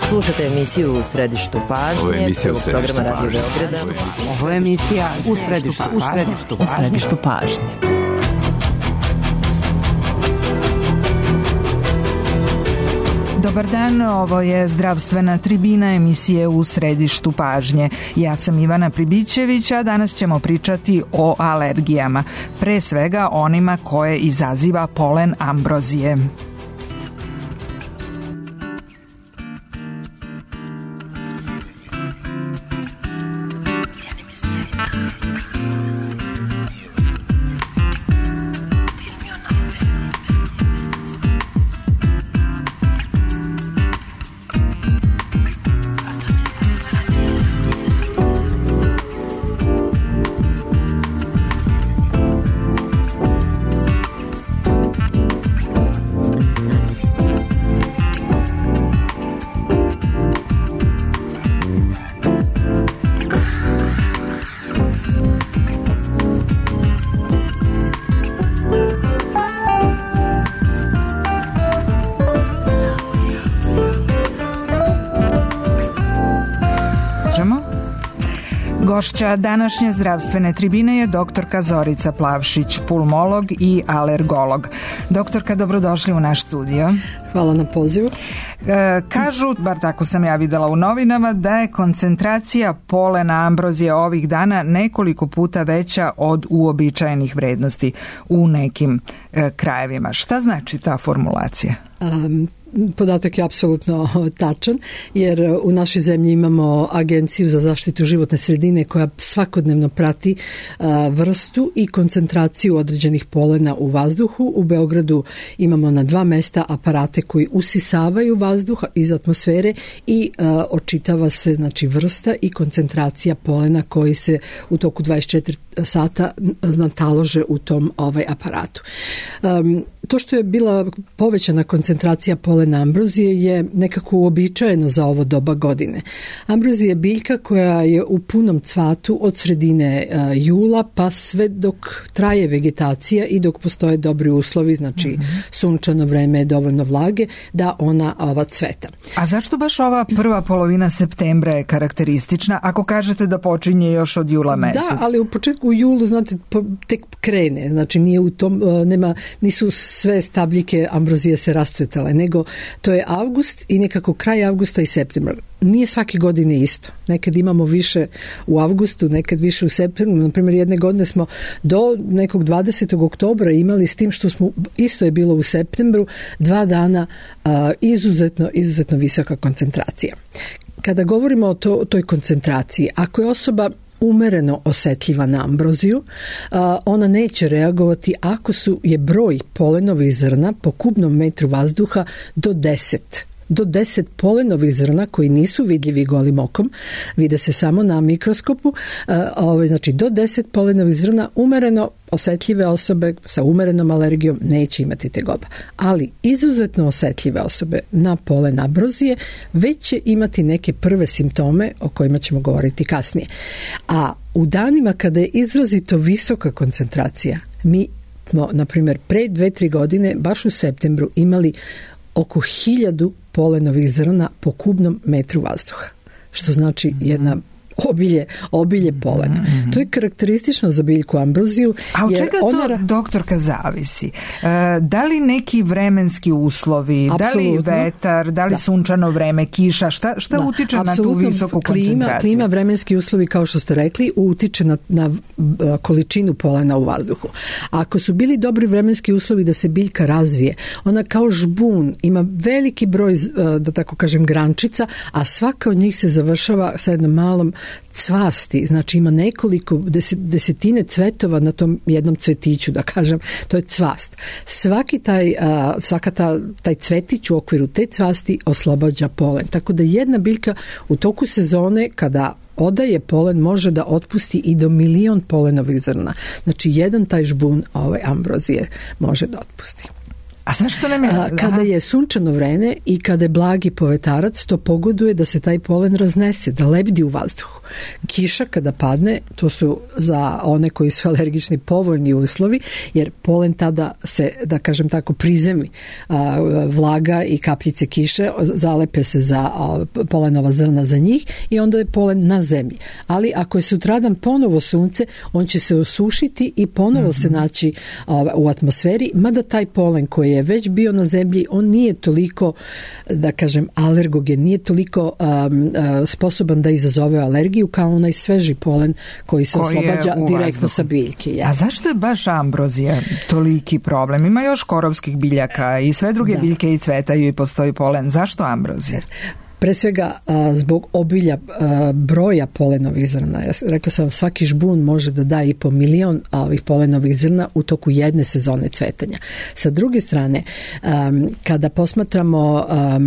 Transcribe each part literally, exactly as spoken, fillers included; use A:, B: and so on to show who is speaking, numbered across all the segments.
A: Slušate emisiju U središtu pažnje.
B: Ovo je emisija U središtu pažnje.
A: Ovo je emisija U središtu pažnje. U središtu pažnje.
C: Dobar dan, ovo je zdravstvena tribina emisije U središtu pažnje. Ja sam Ivana Pribićević, a danas ćemo pričati o alergijama, pre svega onima koje izaziva polen ambrozije. Gošća današnje zdravstvene tribine je doktorka Zorica Plavšić, pulmolog i alergolog. Doktorka, dobrodošli u naš studio.
D: Hvala na pozivu.
C: E, kažu, bar tako sam ja videla u novinama, da je koncentracija polena ambrozije ovih dana nekoliko puta veća od uobičajenih vrednosti u nekim e, krajevima. Šta znači ta formulacija?
D: Um, Podatak je apsolutno tačan, jer u našoj zemlji imamo Agenciju za zaštitu životne sredine koja svakodnevno prati a, vrstu i koncentraciju određenih polena u vazduhu. U Beogradu imamo na dva mesta aparate koji usisavaju vazduh iz atmosfere i a, očitava se znači vrsta i koncentracija polena koji se u toku dvadeset četiri sata natalože u tom ovaj aparatu. Um, to što je bila povećana koncentracija polena ambrozije je nekako uobičajeno za ovo doba godine. Ambrozija je biljka koja je u punom cvatu od sredine uh, jula pa sve dok traje vegetacija i dok postoje dobri uslovi, znači mm-hmm. sunčano vreme, dovoljno vlage, da ona ova cveta.
C: A zašto baš ova prva polovina septembra je karakteristična, ako kažete da počinje još od jula meseca?
D: Da, ali u početku u julu, znate, tek krene, znači nije u tom, nema, nisu sve stabljike ambrozije se rascvetale, nego to je avgust i nekako kraj avgusta i septembra. Nije svake godine isto. Nekad imamo više u avgustu, nekad više u septembru. Naprimjer, jedne godine smo do nekog dvadesetog oktobra imali, s tim što smo, isto je bilo u septembru, dva dana a, izuzetno, izuzetno visoka koncentracija. Kada govorimo o, to, o toj koncentraciji, ako je osoba umereno osetljiva na ambroziju, ona neće reagovati ako su je broj polenovih zrna po kubnom metru vazduha do deset. Do deset polenovih zrna koji nisu vidljivi golim okom, vide se samo na mikroskopu, znači do deset polenovih zrna umereno osetljive osobe sa umerenom alergijom neće imati tegoba. Ali izuzetno osetljive osobe na polen ambrozije već će imati neke prve simptome o kojima ćemo govoriti kasnije. A u danima kada je izrazito visoka koncentracija, mi smo, na primjer, pre dve, tri godine, baš u septembru, imali oko hiljadu polenovih zrna po kubnom metru vazduha, što znači jedna obilje, obilje polena. Mm-hmm. To je karakteristično za biljku ambroziju.
C: A od čega
D: ona...
C: to, doktorka, zavisi? E, da li neki vremenski uslovi,
D: Absolutno.
C: Da li vetar, da li da. sunčano vreme, kiša, šta, šta da. utiče Absolutno. na tu visoku
D: klima,
C: koncentraciju?
D: Klima, vremenski uslovi, kao što ste rekli, utiče na, na količinu polena u vazduhu. A ako su bili dobri vremenski uslovi da se biljka razvije, ona kao žbun ima veliki broj, da tako kažem, grančica, a svaka od njih se završava sa jednom malom cvasti, znači ima nekoliko desetine cvetova na tom jednom cvetiću, da kažem, to je cvast. Svaki taj, svaka ta, taj cvetić u okviru te cvasti oslobađa polen. Tako da jedna biljka u toku sezone, kada odaje polen, može da otpusti i do milion polenovih zrna. Znači jedan taj žbun ovaj ambrozije može da otpusti.
C: A zašto nam je?
D: A, kada je sunčano vreme i kada je blagi povetarac, to pogoduje da se taj polen raznese, da lebdi u vazduhu. Kiša kada padne, to su za one koji su alergični povoljni uslovi, jer polen tada se, da kažem tako, prizemi a, vlaga i kapljice kiše, zalepe se za a, polenova zrna za njih i onda je polen na zemlji. Ali ako je sutradan ponovo sunce, on će se osušiti i ponovo mm-hmm. se naći a, u atmosferi, mada taj polen koji je već bio na zemlji, on nije toliko, da kažem, alergogen, nije toliko um, uh, sposoban da izazove alergiju kao onaj sveži polen koji se koji oslobađa direktno sa biljke. Ja.
C: A zašto je baš ambrozija toliki problem? Ima još korovskih biljaka i sve druge da. biljke i cvetaju i postoji polen. Zašto ambrozija?
D: Pre svega a, zbog obilja a, broja polenovih zrna. Ja rekla sam, svaki žbun može da da i po milion a, ovih polenovih zrna u toku jedne sezone cvetanja. Sa druge strane, a, kada posmatramo a,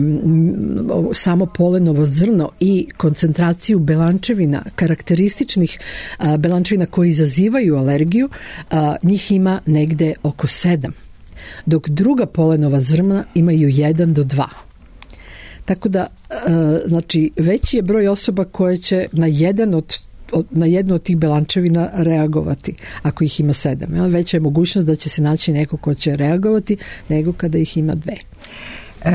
D: samo polenovo zrno i koncentraciju belančevina, karakterističnih a, belančevina koji izazivaju alergiju, a, njih ima negde oko sedam. Dok druga polenova zrna imaju jedan do dva. Tako da, znači, veći je broj osoba koje će na jedan od, od na jednu od tih belančevina reagovati, ako ih ima sedam. Veća je mogućnost da će se naći neko ko će reagovati nego kada ih ima dve.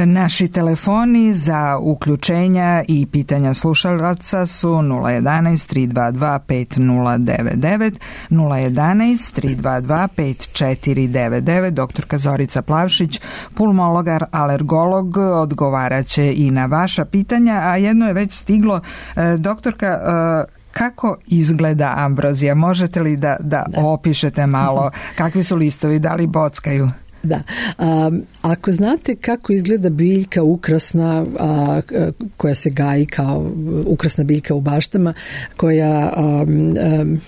C: Naši telefoni za uključenja i pitanja slušalaca su nula jedanaest tri dva dva pet nula devet devet, nula jedanaest tri dva dva pet četiri devet devet. Doktorka Zorica Plavšić, pulmologar, alergolog, odgovaraće i na vaša pitanja, a jedno je već stiglo. Doktorka, kako izgleda ambrozija? Možete li da, da opišete malo kakvi su listovi, da li bockaju?
D: Da. Um, ako znate kako izgleda biljka ukrasna a, koja se gaji kao ukrasna biljka u baštama, koja um, um,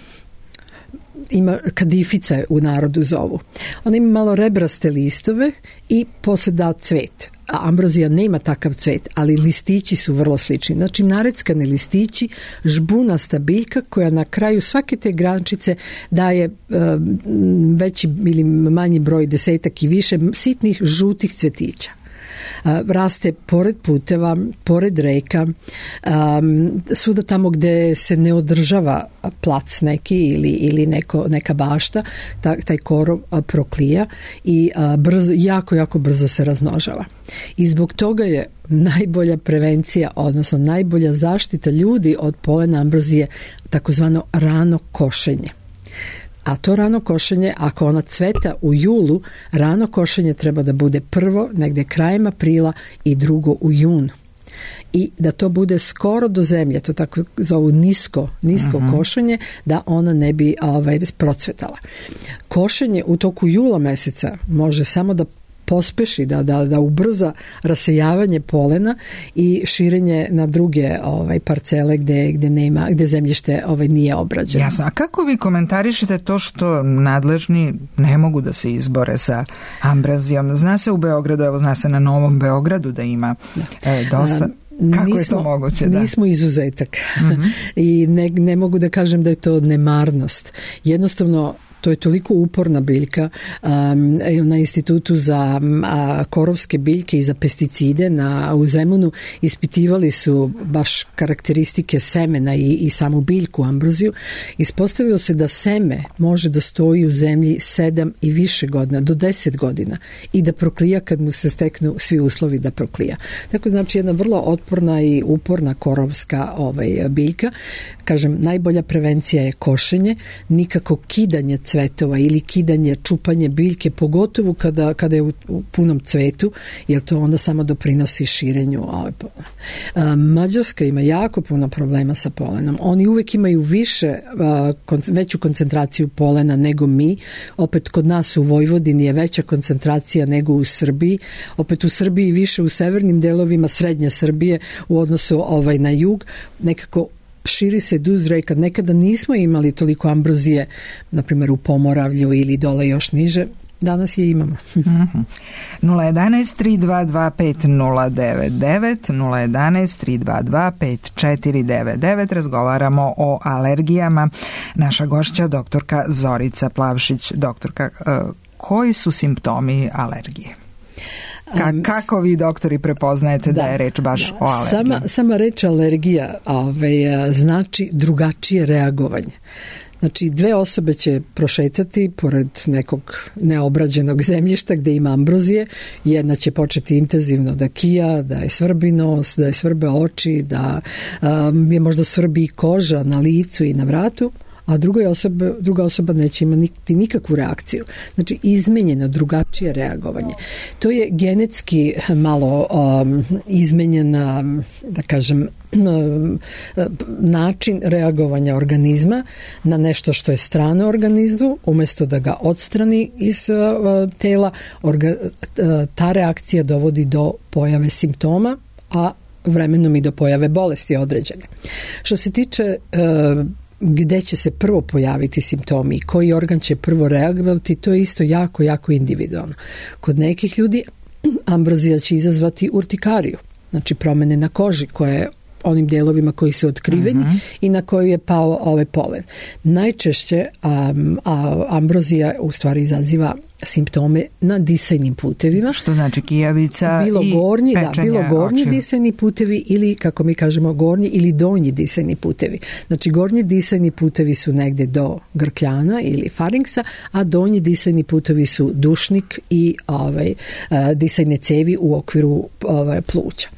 D: ima kadifica u narodu zovu. Ona ima malo rebraste listove i posle da cvet. A ambrozija nema takav cvet, ali listići su vrlo slični. Znači, nareckani listići, žbunasta biljka koja na kraju svake te grančice daje e, veći ili manji broj, desetak i više sitnih žutih cvetića. Raste pored puteva, pored reka, um, svuda tamo gde se ne održava plac neki ili, ili neko, neka bašta, ta, taj korov a, proklija i a, brzo, jako, jako brzo se razmnožava. I zbog toga je najbolja prevencija, odnosno najbolja zaštita ljudi od polena ambrozije takozvano rano košenje. A to rano košenje, ako ona cveta u julu, rano košenje treba da bude prvo negde krajem aprila i drugo u junu. I da to bude skoro do zemlje, to tako zovu nisko, nisko uh-huh. košenje, da ona ne bi ovaj, procvetala. Košenje u toku jula meseca može samo da pospeši, da, da, da ubrza rasejavanje polena i širenje na druge ovaj, parcele gde, gde, nema, gde zemljište ovaj, nije obrađeno. Jasno.
C: A kako vi komentarišete to što nadležni ne mogu da se izbore sa ambrozijom? Zna se u Beogradu, evo zna se na Novom Beogradu da ima e, dosta... Kako nismo, je to moguće? Da?
D: Nismo izuzetak. Mm-hmm. I ne, ne mogu da kažem da je to nemarnost. Jednostavno, to je toliko uporna biljka. Um, na Institutu za a, korovske biljke i za pesticide na, u Zemunu ispitivali su baš karakteristike semena i, i samu biljku ambroziju. Ispostavilo se da seme može da stoji u zemlji sedam i više godina, do deset godina i da proklija kad mu se steknu svi uslovi da proklija. Tako znači jedna vrlo otporna i uporna korovska ovaj, biljka. Kažem, najbolja prevencija je košenje, nikako kidanje cvetova ili kidanje, čupanje biljke, pogotovo kada, kada je u, u punom cvetu, jer to onda samo doprinosi širenju ove polena. Mađarska ima jako puno problema sa polenom. Oni uvek imaju više, a, kon, veću koncentraciju polena nego mi. Opet kod nas u Vojvodini je veća koncentracija nego u Srbiji. Opet u Srbiji više u severnim delovima srednje Srbije u odnosu ovaj, na jug. Nekako širi se duž reka. Nekada nismo imali toliko ambrozije, na primjer u Pomoravlju ili dole još niže. Danas je imamo.
C: Mm-hmm. nula jedanaest tri dva dva pet nula devet devet, nula jedanaest tri dva dva pet četiri devet devet. Razgovaramo o alergijama. Naša gošća, doktorka Zorica Plavšić. Doktorka, koji su simptomi alergije? Ka, kako vi doktori prepoznajete da, da je reč baš da, o alergiji?
D: Sama, sama reč alergija ovaj, znači drugačije reagovanje. Znači, dve osobe će prošetati pored nekog neobrađenog zemljišta gde ima ambrozije. Jedna će početi intenzivno da kija, da je svrbi nos, da je svrbe oči, da um, je možda svrbi koža na licu i na vratu, a druga osoba, druga osoba neće imati nikakvu reakciju. Znači, izmenjeno, drugačije reagovanje. To je genetski malo um, izmenjena, da kažem, način reagovanja organizma na nešto što je strano organizmu, umjesto da ga odstrani iz uh, tela, orga, uh, ta reakcija dovodi do pojave simptoma, a vremenom i do pojave bolesti određene. Što se tiče uh, gde će se prvo pojaviti simptomi i koji organ će prvo reagovati, to je isto jako, jako individualno. Kod nekih ljudi ambrozija će izazvati urtikariju, znači promene na koži koje onim delovima koji su otkriveni uh-huh. i na koju je pao ovaj polen. Najčešće um, a, ambrozija u stvari izaziva simptome na disajnim putevima.
C: Što znači kijavica
D: bilo
C: i
D: gornji, da, bilo gornji
C: očiju.
D: disajni putevi ili, kako mi kažemo, gornji ili donji disajni putevi. Znači, gornji disajni putevi su negde do grkljana ili farinksa, a donji disajni putevi su dušnik i ovaj, disajne cevi u okviru ovaj, pluća.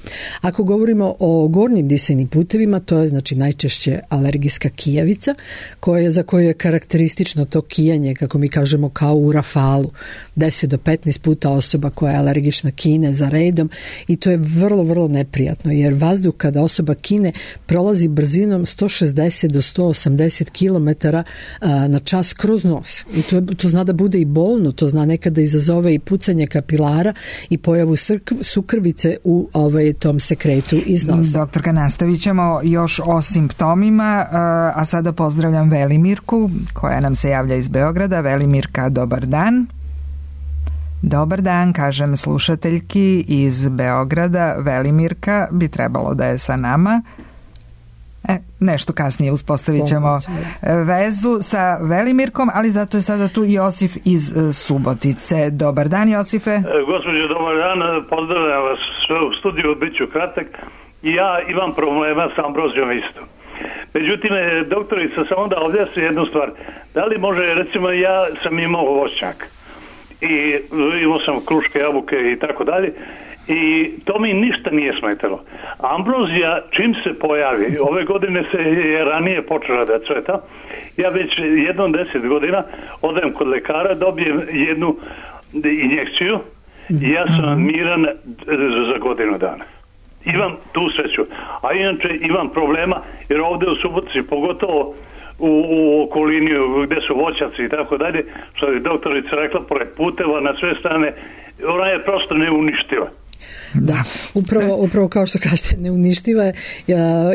D: Ako govorimo o gornjim disajnim putevima, to je znači najčešće alergijska kijavica, koja, za koju je karakteristično to kijanje, kako mi kažemo, kao u rafalu. deset do petnaest puta osoba koja je alergična kine za redom i to je vrlo, vrlo neprijatno, jer vazduh kada osoba kine prolazi brzinom sto šezdeset do sto osamdeset kilometara na čas kroz nos. I to, to zna da bude i bolno, to zna nekada izazove i pucanje kapilara i pojavu sukrvice u ovaj, tom sekretu iz nosa.
C: Doktorka, nastavit ćemo još o simptomima, a sada pozdravljam Velimirku koja nam se javlja iz Beograda. Velimirka, dobar dan. Dobar dan, kažem slušateljki iz Beograda. Velimirka bi trebalo da je sa nama. E, nešto kasnije uspostavit ćemo vezu sa Velimirkom, ali zato je sada tu Josif iz Subotice. Dobar dan, Josife.
B: E, gospođo, dobar dan, pozdravljam vas u studiju, bit ću kratak. Ja imam problema sa ambrozijom isto. Međutim, doktorica, samo da objasni jednu stvar. Da li može, recimo, ja sam imao voćnjak i imao sam kruške, jabuke i tako dalje i to mi ništa nije smetalo. Ambrozija čim se pojavi, ove godine se je ranije počela da cveta, ja već jednom deset godina odem kod lekara, dobijem jednu injekciju i ja sam miran za godinu dana. Imam tu sreću. A inače imam problema jer ovdje u Subotici, pogotovo u, u okolini gdje su voćaci i tako dalje, što je doktorica rekla, pored puteva na sve strane, ona je prosto neuništiva.
D: Da, upravo, upravo kao što kažete, neuništiva je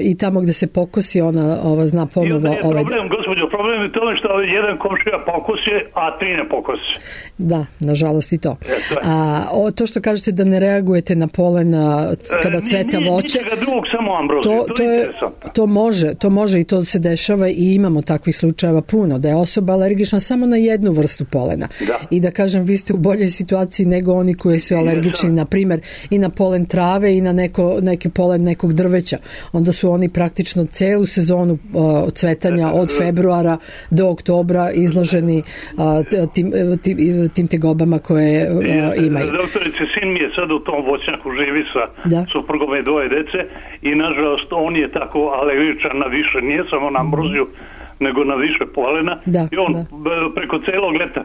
D: i tamo gde se pokosi ona ova, zna ponovo... I onda je
B: problem, ovaj... gospođo, problem je tome što jedan komšija pokosi, a tri ne pokosi.
D: Da, nažalost i to. A, o, to što kažete da ne reagujete na polen kada cveta voće...
B: Ničega drugog, samo ambroziju, to, to, to je
D: to može, to može i to se dešava i imamo takvih slučajeva puno, da je osoba alergična samo na jednu vrstu polena.
B: Da.
D: I da kažem, vi ste u boljoj situaciji nego oni koji su alergični, na primjer, i na polen trave i na neko, neki polen nekog drveća. Onda su oni praktično celu sezonu uh, cvetanja od februara do oktobra izloženi uh, tim, tim, tim tegobama koje uh, imaju.
B: Doktorice, sin mi je sad u tom voćnjaku, živi sa da. suprugom i dvoje dece i nažalost on je tako alergičan na više, nije samo na ambroziju, nego na više polena da, i on da. preko celog leta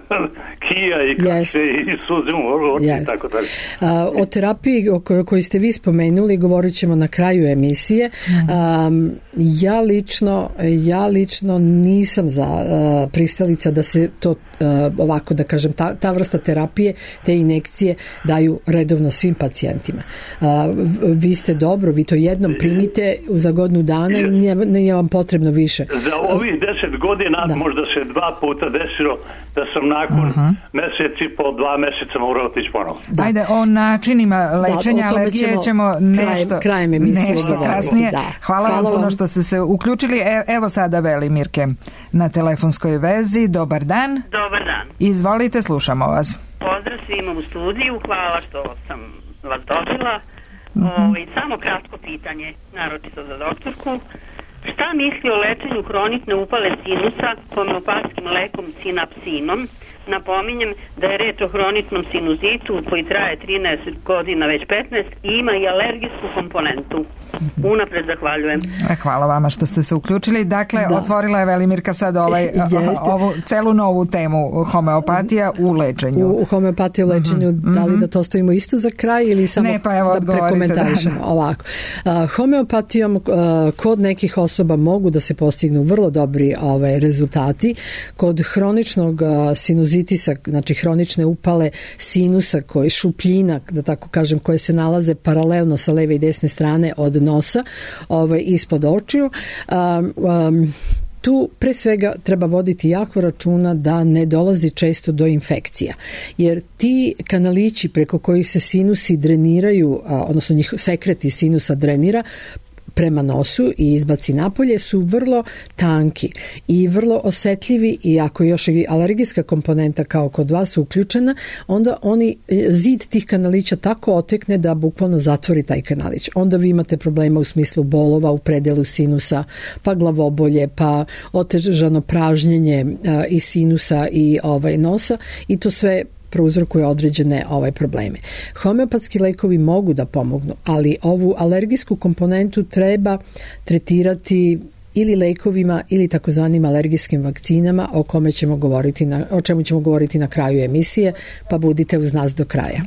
B: kija i kaše yes. i suze u oči yes. i tako dalje.
D: A, o terapiji o kojoj, koju ste vi spomenuli govorit ćemo na kraju emisije. Mm. A, ja lično ja lično nisam za a, pristalica da se to a, ovako da kažem ta, ta vrsta terapije, te injekcije daju redovno svim pacijentima. A, vi ste dobro, vi to jednom primite za godinu dana i nije, nije vam potrebno više.
B: Za ovih deset godina, da. Možda se dva puta desilo da sam nakon uh-huh. mjeseci po dva mjeseca morao otići ponovno.
C: Ajde, o načinima lečenja da, alergije ćemo, ćemo nešto,
D: krajem, krajem nešto
C: kasnije.
D: Da.
C: Hvala, Hvala vam puno što ste se uključili. E, evo sada Velimirke na telefonskoj vezi. Dobar dan.
E: Dobar dan.
C: Izvolite, slušamo vas.
E: Pozdrav svima u studiju, hvala što sam vas dobila. Mm-hmm. O, i samo kratko pitanje, naročito za doktorku. Šta misli o lečenju hronične upale sinusa homeopatskim lekom sinapsinom? Napominjem da je reč o hroničnom sinuzitu koji traje trinaest godina, već petnaest i ima i alergijsku komponentu. Unapred zahvaljujem.
C: Hvala vama što ste se uključili. Dakle, da. Otvorila je Velimirka sad ovaj, ovu celu novu temu homeopatija u lečenju. U,
D: u homeopatiji u lečenju, mm-hmm. da li da to ostavimo isto za kraj ili samo
C: ne, pa evo,
D: da prekomentarišemo? Da, da. Ovako. Uh, homeopatijom uh, kod nekih osoba mogu da se postignu vrlo dobri ovaj, rezultati. Kod hroničnog uh, sinuzitisa, znači hronične upale sinusa, koji šupljina, da tako kažem, koje se nalaze paralelno sa leve i desne strane od nosa, ovaj, ispod očiju. Um, um, tu pre svega treba voditi jako računa da ne dolazi često do infekcija, jer ti kanalići preko kojih se sinusi dreniraju, odnosno njih sekreti sinusa drenira prema nosu i izbaci napolje, su vrlo tanki i vrlo osetljivi, i ako još i alergijska komponenta kao kod vas uključena, onda oni, zid tih kanalića tako otekne da bukvalno zatvori taj kanalić. Onda vi imate problema u smislu bolova u predelu sinusa, pa glavobolje, pa otežano pražnjenje a, i sinusa i ovaj nosa, i to sve prouzrokuje određene ovaj probleme. Homeopatski lekovi mogu da pomognu, ali ovu alergijsku komponentu treba tretirati ili lekovima ili takozvanim alergijskim vakcinama, o kome ćemo govoriti na, o čemu ćemo govoriti na kraju emisije, pa budite uz nas do kraja.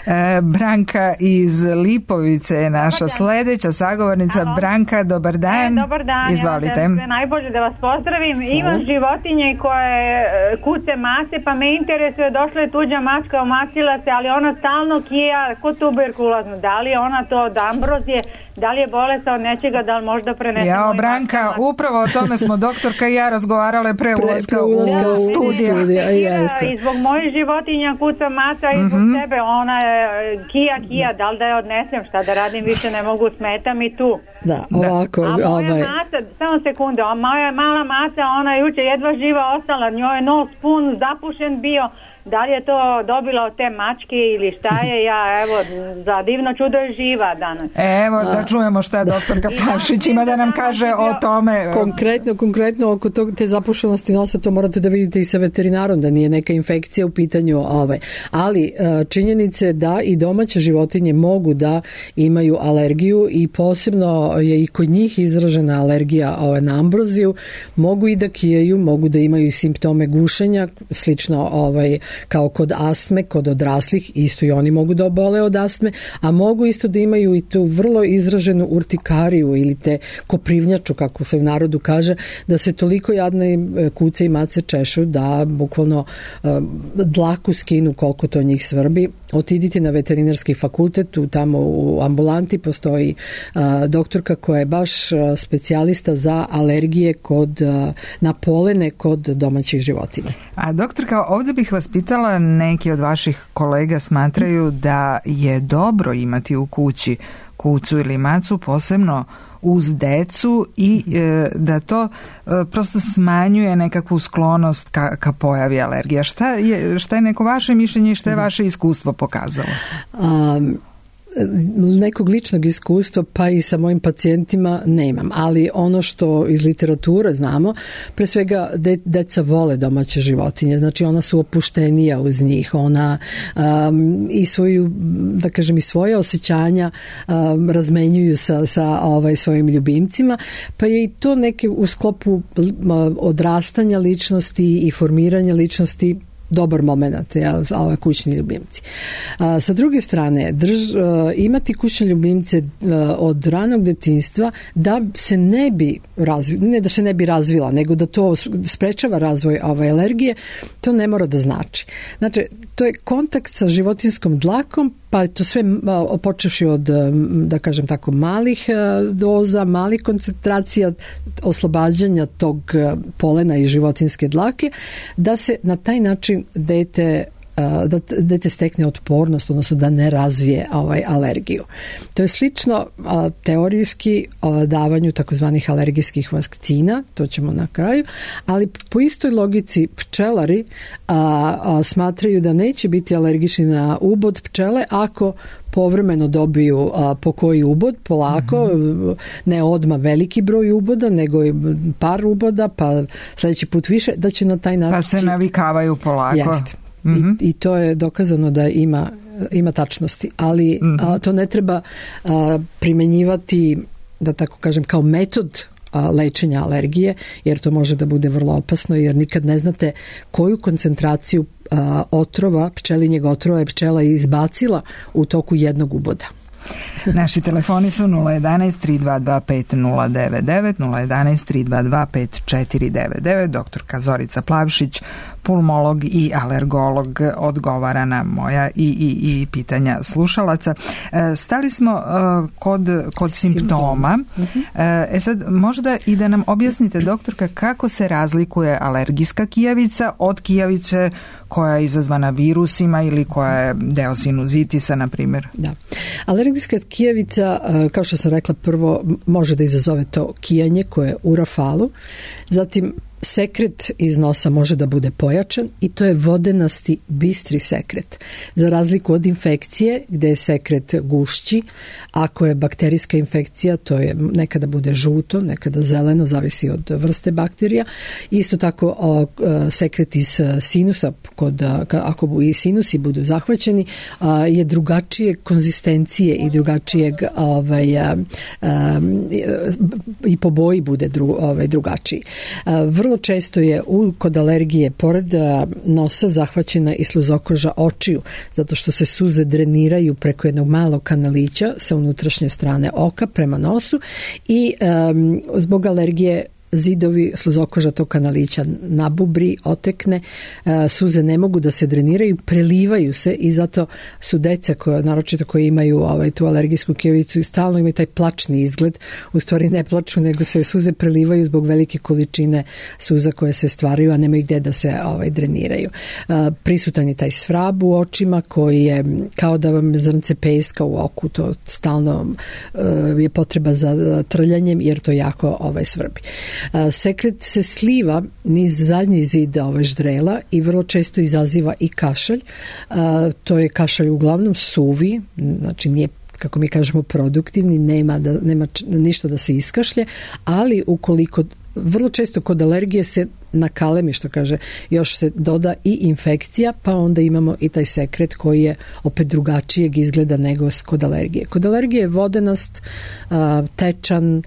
C: E, Branka iz Lipovice je naša sledeća sagovornica. Halo. Branka, dobar dan.
F: E, dobar dan.
C: Izvolite.
F: Ja sve najbolje da vas pozdravim. Hvala. Imam životinje koje kuce mace, pa me interesuje, došla je tuđa mačka, omacila se, ali ona stalno kija kod tuberkuloznu. Da li je ona to od ambrozije? Da li je bolesna od nečega, da li možda prenesemo?
C: Jao, Branka, upravo o tome smo doktorka i ja razgovarale pre ulaska u, u studiju.
F: I zbog mojih životinja kuca maca i zbog mm-hmm. sebe, ona je kija, kija, da li da je odnesem, šta da radim, više ne mogu, smeta mi tu.
D: Da, ovako.
F: A moja ovaj... maca, samo sekunde, a moja mala maca, ona je juče jedva živa ostala, njoj je nos pun, zapušen bio. Da li je to dobila od te mačke ili šta je, ja evo, za divno čudo je živa danas.
C: Evo da, da čujemo šta doktorka Plavšić ima da nam kaže o tome.
D: Konkretno, konkretno oko tog, te zapušenosti nosa, to morate da vidite i sa veterinarom, da nije neka infekcija u pitanju. Ovaj. Ali činjenice da i domaće životinje mogu da imaju alergiju, i posebno je i kod njih izražena alergija ovaj, na ambroziju, mogu i da kijaju, mogu da imaju simptome gušenja, slično ovaj, kao kod astme, kod odraslih, isto i oni mogu da obole od astme, a mogu isto da imaju i tu vrlo izraženu urtikariju ili te koprivnjaču, kako se u narodu kaže, da se toliko jadne kuce i mace češu da bukvalno uh, dlaku skinu koliko to njih svrbi. Otidite na veterinarski fakultet, tu tamo u ambulanti postoji uh, doktorka koja je baš uh, specijalista za alergije kod, uh, na polene kod domaćih životinja.
C: A doktorka, ovdje bih vas pitala, neki od vaših kolega smatraju da je dobro imati u kući kucu ili macu, posebno uz decu, i e, da to e, prosto smanjuje nekakvu sklonost ka, ka pojavi alergija. Šta je, šta je neko vaše mišljenje i šta je vaše iskustvo pokazalo?
D: Um, nekog ličnog iskustva pa i sa mojim pacijentima nemam, ali ono što iz literature znamo, pre svega de, deca vole domaće životinje, znači ona su opuštenija uz njih, ona um, i svoju, da kažem, i svoje osjećanja um, razmenjuju sa, sa ovaj, svojim ljubimcima, pa je i to neke u sklopu odrastanja ličnosti i formiranja ličnosti dobar moment, ja, ove kućni ljubimci. A, sa druge strane, drž, a, imati kućne ljubimce a, od ranog detinjstva da se ne bi razvi, ne da se ne bi razvila, nego da to sprečava razvoj ove alergije, to ne mora da znači. Znači, to je kontakt sa životinjskom dlakom pa to sve počevši od, da kažem tako, malih doza, malih koncentracija, oslobađanja tog polena i životinjske dlake, da se na taj način dete da dete stekne otpornost, odnosno da ne razvije ovaj alergiju. To je slično a, teorijski a, davanju takozvanih alergijskih vakcina, to ćemo na kraju, ali po istoj logici pčelari a, a, smatraju da neće biti alergični na ubod pčele ako povremeno dobiju a, po koji ubod, polako, mm-hmm. ne odmah veliki broj uboda, nego i par uboda, pa sljedeći put više, da će na taj način...
C: Pa se navikavaju polako.
D: Jeste. Mm-hmm. I, I to je dokazano da ima, ima tačnosti, ali mm-hmm. a, to ne treba a, primenjivati, da tako kažem, kao metod a, lečenja alergije, jer to može da bude vrlo opasno, jer nikad ne znate koju koncentraciju a, otrova, pčelinjeg otrova je pčela izbacila u toku jednog uboda.
C: Naši telefoni su nula jedan tri dva dva pet nula devet devet, nula jedan tri dva dva pet četiri devet devet. Doktorka Zorica Plavšić, pulmolog i alergolog, odgovara na moja i, i, i pitanja slušalaca. Stali smo kod, kod simptoma. E sad, možda i da nam objasnite, doktorka, kako se razlikuje alergijska kijavica od kijavice koja je izazvana virusima ili koja je deo sinuzitisa, na primjer?
D: Da. Alergijska kijavica, kao što sam rekla, prvo može da izazove to kijanje koje je u rafalu, zatim sekret iz nosa može da bude pojačan i to je vodenasti, bistri sekret. Za razliku od infekcije gdje je sekret gušći, ako je bakterijska infekcija, to je nekada bude žuto, nekada zeleno, zavisi od vrste bakterija. Isto tako o, sekret iz sinusa, kod, ako i sinusi budu zahvaćeni, je drugačije konzistencije i drugačijeg ovaj, a, a, i po boji bude dru, ovaj, drugačiji. A, vrlo često je u, kod alergije pored nosa zahvaćena i sluzokoža očiju, zato što se suze dreniraju preko jednog malog kanalića sa unutrašnje strane oka prema nosu i um, zbog alergije zidovi sluzokoža tog kanalića nabubri, otekne, suze ne mogu da se dreniraju, prelivaju se i zato su deca, koja, naročito koji imaju ovaj, tu alergijsku kijavicu i stalno imaju taj plačni izgled, u stvari ne plaču, nego se suze prelivaju zbog velike količine suza koje se stvaraju, a nemaju gdje da se ovaj, dreniraju. Prisutan je taj svrab u očima koji je kao da vam zrnce peska u oku, to stalno je potreba za trljanjem jer to jako ovaj, svrbi. Sekret se sliva niz zadnji zid ove ždrela i vrlo često izaziva i kašalj. To je kašalj uglavnom suvi, znači nije, kako mi kažemo, produktivni, nema, da, nema ništa da se iskašlje, ali ukoliko vrlo često kod alergije se nakalemi, što kaže, još se doda i infekcija, pa onda imamo i taj sekret koji je opet drugačijeg izgleda nego kod alergije. Kod alergije je vodenast, tečan,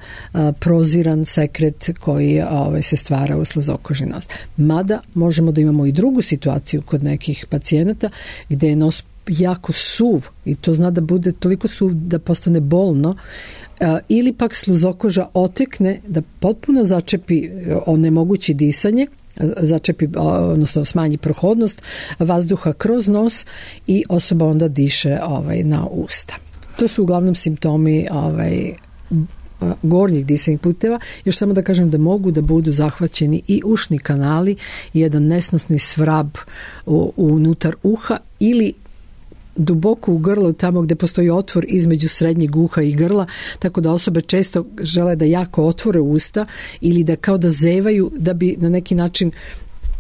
D: proziran sekret koji ovaj, se stvara u sluzokoži nos. Mada možemo da imamo i drugu situaciju kod nekih pacijenata gdje je nos jako suv i to zna da bude toliko suv da postane bolno, ili pak sluzokoža otekne da potpuno začepi, onemogući disanje, začepi, odnosno smanji prohodnost vazduha kroz nos i osoba onda diše ovaj, na usta. To su uglavnom simptomi ovaj, gornjih disajnih puteva. Još samo da kažem da mogu da budu zahvaćeni i ušni kanali i jedan nesnosni svrab u, unutar uha ili duboko u grlu, tamo gdje postoji otvor između srednjeg uha i grla, tako da osobe često žele da jako otvore usta ili da kao da zevaju da bi na neki način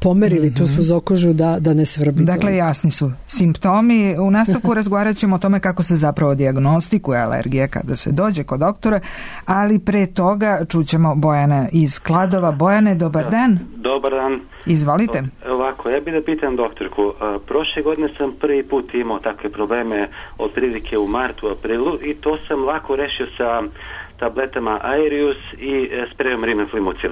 D: pomerili mm-hmm. tu sluzokožu da, da ne svrbi.
C: Dakle, to. Jasni su simptomi. U nastavku razgovarat ćemo o tome kako se zapravo dijagnostikuje alergija kada se dođe kod doktora, ali pre toga čućemo Bojana iz Kladova. Bojane, dobar dan.
G: Dobar dan.
C: Izvolite.
G: Ovako, ja bih da pitam doktorku. Prošle godine sam prvi put imao takve probleme otprilike u martu, aprilu i to sam lako rešio sa tabletama Aerius i sprejom Rimiflimucil.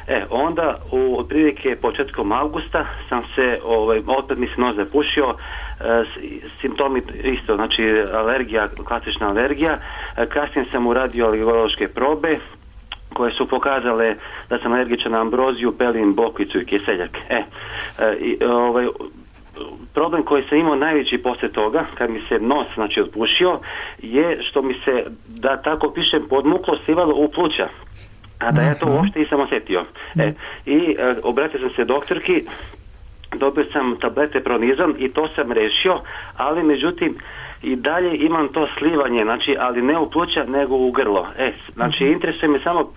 G: E, onda u otprilike početkom avgusta sam se, ovaj, opet mi se nos zapušio, e, simptomi isto, znači alergija, klasična alergija. E, kasnije sam uradio alergološke probe koje su pokazale da sam alergičan na ambroziju, pelin, bokvicu i kiseljak. E, e, i, ovaj, problem koji sam imao najveći poslije toga, kad mi se nos, znači, otpušio, je što mi se, da tako pišem, podmuklo slivalo u pluća. A da ja to uopšte nisam osjetio. E, i e, obratio sam se doktorki, dobio sam tablete Pronizam i to sam rešio, ali međutim i dalje imam to slivanje, znači, ali ne u pluća nego u grlo. E, znači, interesuje me samo, uh,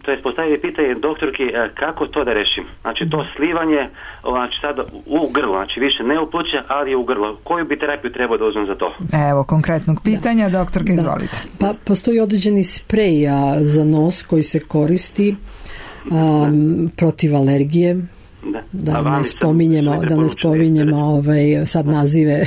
G: to je postaviti pitanje doktorki, uh, kako to da rešim. Znači, to slivanje, znači, sada u grlo, znači, više ne u pluća, ali u grlo. Koju bi terapiju trebao da uzmem za to?
C: Evo, konkretnog pitanja, da. Doktorka, izvolite.
D: Da. Pa, postoji određeni sprej a, za nos koji se koristi um, protiv alergije. Da, da ne spominjemo, da ne spominjemo ovaj, sad nazive,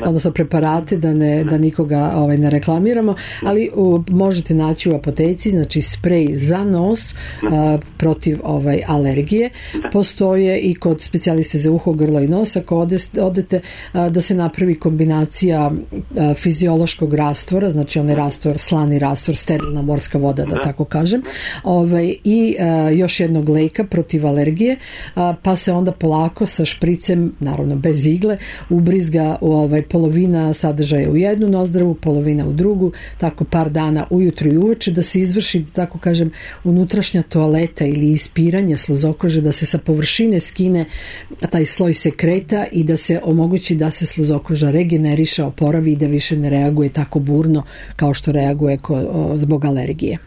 D: odnosno preparate, da, ne, da nikoga ovaj, ne reklamiramo, ali u, možete naći u apoteci, znači sprej za nos a, protiv ovaj, alergije. Postoje i kod specijaliste za uho, grlo i nos, ako odeste, odete a, da se napravi kombinacija a, fiziološkog rastvora, znači onaj rastvor, slani rastvor, sterilna morska voda, da, da. tako kažem, ovaj, i a, još jednog leka protiv alergije, a, pa se onda polako sa špricem, naravno bez igle, ubrizga u ovaj, polovina sadržaja u jednu nozdrvu, polovina u drugu, tako par dana ujutro i uveče, da se izvrši, tako kažem, unutrašnja toaleta ili ispiranje sluzokože, da se sa površine skine taj sloj sekreta i da se omogući da se sluzokoža regeneriše, oporavi i da više ne reaguje tako burno kao što reaguje ko, o, zbog alergije.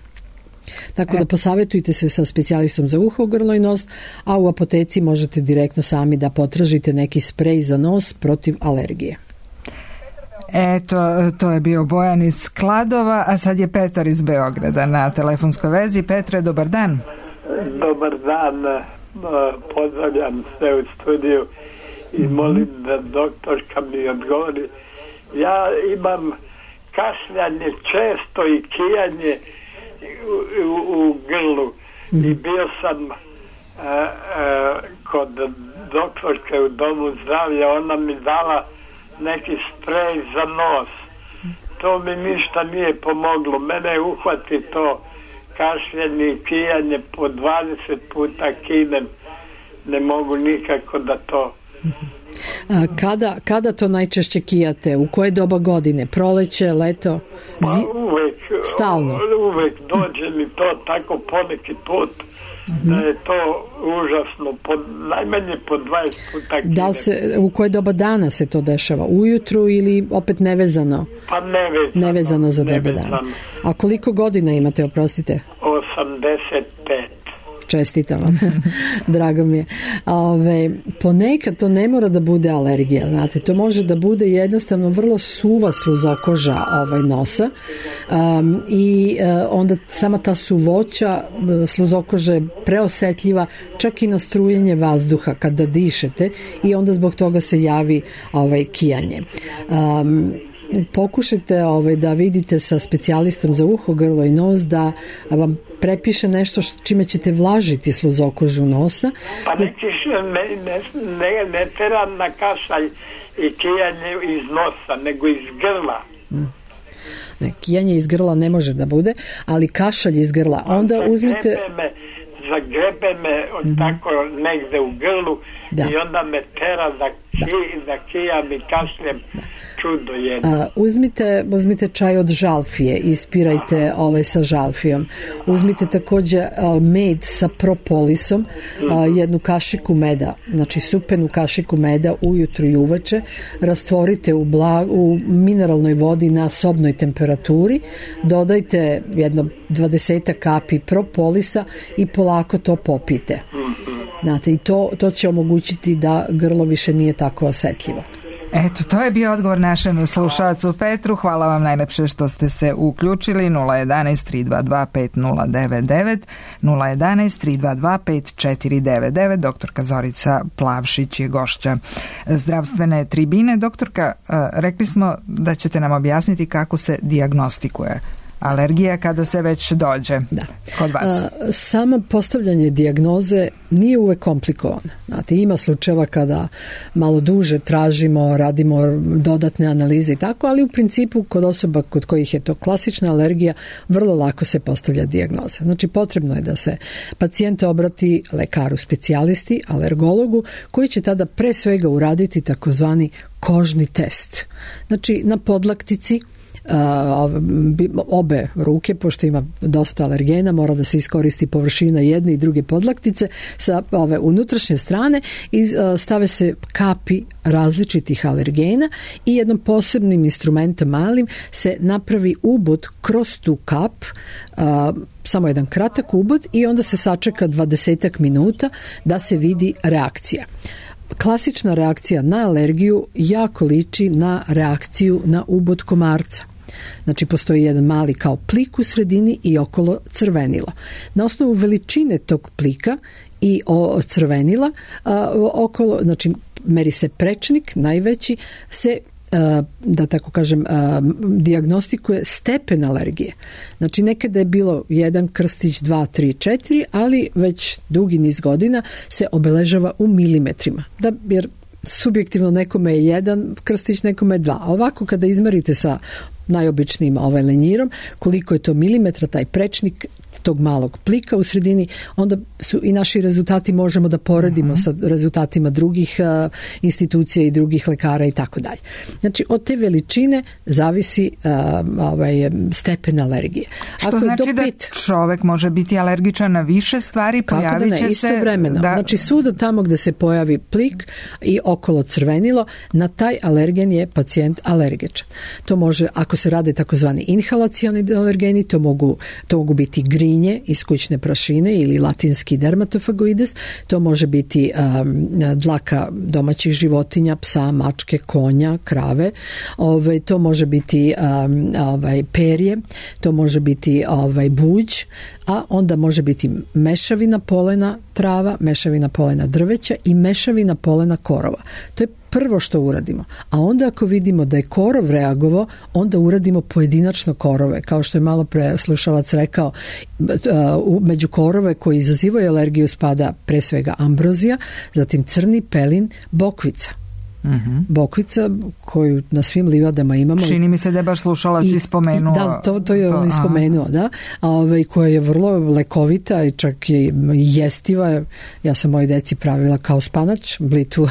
D: Tako da posavetujte se sa specijalistom za uho, grlo i nos, a u apoteci možete direktno sami da potražite neki sprej za nos protiv alergije.
C: Eto, to je bio Bojan iz Kladova, a sad je Petar iz Beograda na telefonskoj vezi. Petre, dobar dan.
H: Dobar dan, pozdravljam se u studiju i molim da doktorka mi odgovori. Ja imam kašljanje često i kijanje U, u, u grlu mm-hmm. i bio sam a, a, kod doktorke u domu zdravlja, ona mi dala neki sprej za nos, to mi ništa nije pomoglo, mene uhvati to kašljanje i kijanje, po dvadeset puta kinem, ne mogu nikako da to.
D: A kada, kada to najčešće kijate? U koje doba godine? Proleće, leto?
H: Pa uvek,
D: stalno?
H: Uvek dođe mi to tako poneki put, mm-hmm. da je to užasno, po, najmanje po dvadeset puta kinem.
D: Da se, u koje doba dana se to dešava? Ujutru ili opet nevezano?
H: Pa nevezano.
D: Nevezano za doba dana. A koliko godina imate, oprostite?
H: osamdeset pet.
D: Čestitam vam, drago mi je. Ove, ponekad to ne mora da bude alergija, znate, to može da bude jednostavno vrlo suva sluzokoža ovaj, nosa um, i uh, onda sama ta suvoća sluzokože je preosetljiva čak i na strujenje vazduha kada dišete i onda zbog toga se javi ovaj, kijanje. Um, pokušajte ovaj, da vidite sa specijalistom za uho, grlo i nos da vam prepiše nešto čime ćete vlažiti sluzokožu nosa.
H: Pa nećeš, ne, ne, ne, ne teram na kašalj i kijanje iz nosa, nego iz grla.
D: Ne, kijanje iz grla ne može da bude, ali kašalj iz grla. Onda
H: zagrebe
D: uzmite...
H: Me, zagrebe me od mm-hmm. tako negde u grlu da. I onda me tera da, ki, da. da kijam i kašljem. Da. Čudo jedno.
D: A, uzmite, uzmite čaj od žalfije, ispirajte Aha. ovaj sa žalfijom. Uzmite takođe a, med sa propolisom, a, jednu kašiku meda, znači supenu kašiku meda ujutru i uveče, rastvorite u, blag, u mineralnoj vodi na sobnoj temperaturi, dodajte jedno dvadesetak kapi propolisa i polako to popijte. Znate, i to, to će omogućiti da grlo više nije tako osetljivo.
C: Eto, to je bio odgovor našem slušalcu Petru. Hvala vam najlepše što ste se uključili. nula jedan tri dva dva pet nula devet devet, nula jedan tri dva dva pet četiri devet devet. Doktorka Zorica Plavšić je gošća zdravstvene tribine. Doktorka, rekli smo da ćete nam objasniti kako se dijagnostikuje alergija kada se već dođe
D: da.
C: kod vas?
D: Samo postavljanje dijagnoze nije uvek komplikovano. Znate, ima slučajeva kada malo duže tražimo, radimo dodatne analize i tako, ali u principu kod osoba kod kojih je to klasična alergija, vrlo lako se postavlja dijagnoza. Znači, potrebno je da se pacijent obrati lekaru specijalisti, alergologu, koji će tada pre svega uraditi takozvani kožni test. Znači, na podlaktici obe ruke, pošto ima dosta alergena, mora da se iskoristi površina jedne i druge podlaktice sa ove unutrašnje strane i stave se kapi različitih alergena i jednom posebnim instrumentom malim se napravi ubod kroz tu kap, a, samo jedan kratak ubod i onda se sačeka dvadesetak minuta da se vidi reakcija. Klasična reakcija na alergiju jako liči na reakciju na ubod komarca. Znači, postoji jedan mali kao plik u sredini i okolo crvenilo. Na osnovu veličine tog plika i o, crvenila a, okolo, znači meri se prečnik, najveći, se a, da tako kažem, a, dijagnostikuje stepen alergije. Znači, nekada je bilo jedan krstić, dva, tri, četiri, ali već dugi niz godina se obeležava u milimetrima. Da, jer subjektivno nekome je jedan krstić, nekome je dva. A ovako kada izmerite sa najobičnijim ovaj lenjirom, koliko je to milimetra, taj prečnik tog malog plika u sredini, onda su i naši rezultati možemo da poredimo uh-huh. sa rezultatima drugih uh, institucija i drugih lekara i tako dalje. Znači, od te veličine zavisi uh, ovaj, stepen alergije.
C: Što Ako znači pet, da čovek može biti alergičan na više stvari, pojavit će
D: da ne,
C: se...
D: Istovremeno. Da... Znači, svuda tamo gde se pojavi plik i okolo crvenilo, na taj alergen je pacijent alergičan. To može, ako se rade takozvani inhalacioni alergeni, to mogu, to mogu biti grinje iz kućne prašine ili latinski dermatofagoides, to može biti um, dlaka domaćih životinja, psa, mačke, konja, krave, ovaj, to može biti um, ovaj, perje, to može biti ovaj, buđ, a onda može biti mešavina polena trava, mešavina polena drveća i mešavina polena korova. To je prvo što uradimo. A onda ako vidimo da je korov reagovao, onda uradimo pojedinačno korove. Kao što je malo pre slušalac rekao, među korove koji izazivaju alergiju spada pre svega ambrozija, zatim crni pelin, bokvica. Uh-huh. Bokvica koju na svim livadama imamo.
C: Čini mi se da je baš slušalac i spomenuo.
D: Da, to, to je to, on ispomenuo, da. A ovaj, koja je vrlo lekovita i čak je jestiva. Ja sam mojoj deci pravila kao spanač, blitvu,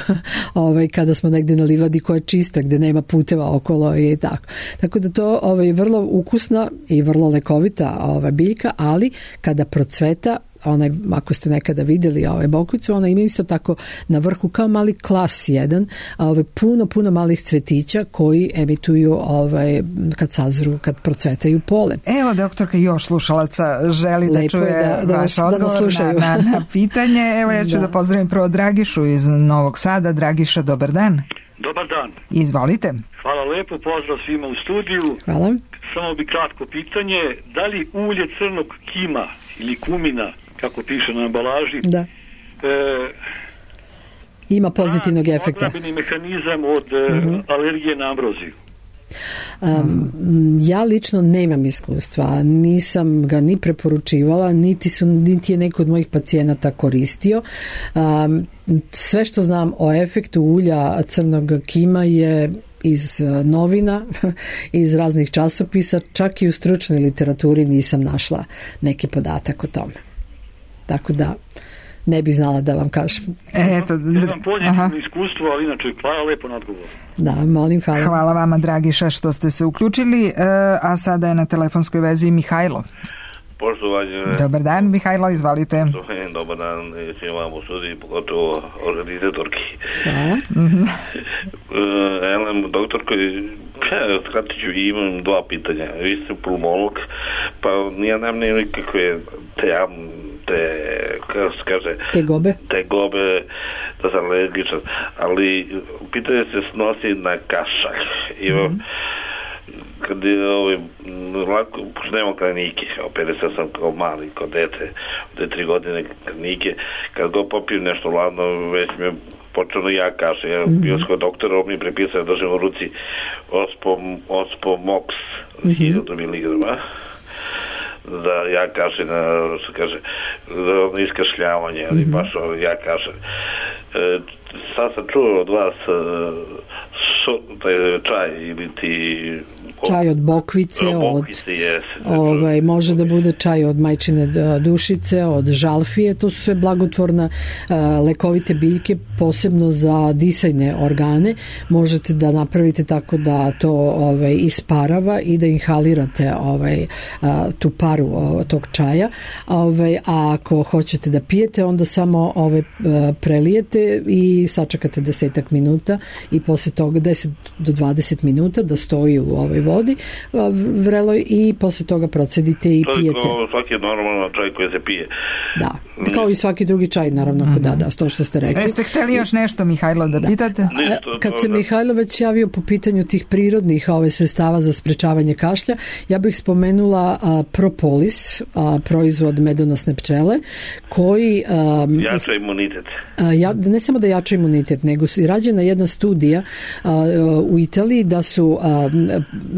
D: ovaj, kada smo negde na livadi koja je čista, gde nema puteva okolo i tako. Tako da to ovaj, vrlo ukusna i vrlo lekovita ovaj, biljka, ali kada procveta, onaj, ako ste nekada videli ovaj bokvicu, ona ima isto tako na vrhu kao mali klas jedan, ovaj, puno, puno malih cvetića koji emituju ovaj, kad sazru, kad procvetaju polen.
C: Evo, doktorka, još slušalaca želi
D: Lepo
C: da čuje
D: da, da
C: vaš
D: da
C: odgovor na, na, na pitanje. Evo, ja ću da. da pozdravim prvo Dragišu iz Novog Sada. Dragiša, dobar dan.
I: Dobar dan.
C: Izvolite.
I: Hvala lepo, pozdrav svima u studiju.
D: Hvala.
I: Samo bi kratko pitanje, da li ulje crnog kima ili kumina, kako piše na ambalaži,
D: da.
I: E,
D: ima pozitivnog
I: da,
D: efekta.
I: odbrambeni mehanizam od uh-huh. alergije na ambroziju.
D: Um, ja lično nemam iskustva, nisam ga ni preporučivala, niti, su, niti je neko od mojih pacijenata koristio. Um, sve što znam o efektu ulja crnog kima je iz novina, iz raznih časopisa, čak i u stručnoj literaturi nisam našla neki podatak o tome. Tako da ne bih znala da vam kažem.
C: Eto,
I: nemam pozitivno iskustvo, ali inače hvala lepo na odgovor.
D: Da, molim, hvala.
C: Hvala vama, Dragiša, što ste se uključili, a sada je na telefonskoj vezi Mihajlo.
J: Poštovanje.
C: Dobar dan, Mihajlo, izvalite.
J: Dobar dan, svima vam u studiji, pogotovo organizatorki.
D: Hvala.
J: Mm-hmm. Elem, doktorko, skratit ću, imam dva pitanja. Vi ste pulmolog, pa ja nemam nikakve te, te, kako se kaže,
D: te gobe,
J: te gobe, da sam alergičan, ali pitanje se snosi na kašalj. Imam, mm-hmm. kad je ovaj, lako, nema klinike, operisao sam kao mali, kao dete, od tri godine klinike, kad go popijem nešto ladno, već mi je počelo ja kašalj, ja mm-hmm. bio skoro doktora, on mi prepisao da držim u ruci Ospom, Ospomox, mm-hmm. hiljadu miligrama, da ja kašalj, što kaže, da iskašljavanje, ali mm-hmm. baš ja kašalj. E, sad sam čuo od vas so, taj čaj ili ti
D: čaj od bokvice, od,
J: bokvice jest,
D: ovaj, može da bude čaj od majčine dušice, od žalfije, to su sve blagotvorna uh, lekovite biljke, posebno za disajne organe. Možete da napravite tako da to ovaj, isparava i da inhalirate ovaj, uh, tu paru uh, tog čaja. Ovaj, a ako hoćete da pijete, onda samo ovaj, uh, prelijete i sačekate desetak minuta i posle toga deset do dvadeset minuta da stoji u ovoj vodi vreloj i posle toga procedite i
J: to
D: pijete.
J: To je kao svaki normalan čaj koji se pije.
D: Da, kao i svaki drugi čaj, naravno, mm-hmm. da, da, to što ste rekli.
C: Jeste hteli još nešto, Mihajlo, da, da. pitate?
J: Ne,
D: to, Kad se Mihajlo već javio po pitanju tih prirodnih ove sredstava za sprečavanje kašlja, ja bih spomenula a, propolis, a, proizvod medonosne pčele, koji... A,
J: jača imunitet.
D: A, ja, ne samo da jača imunitet, nego je rađena jedna studija a, u Italiji da su a,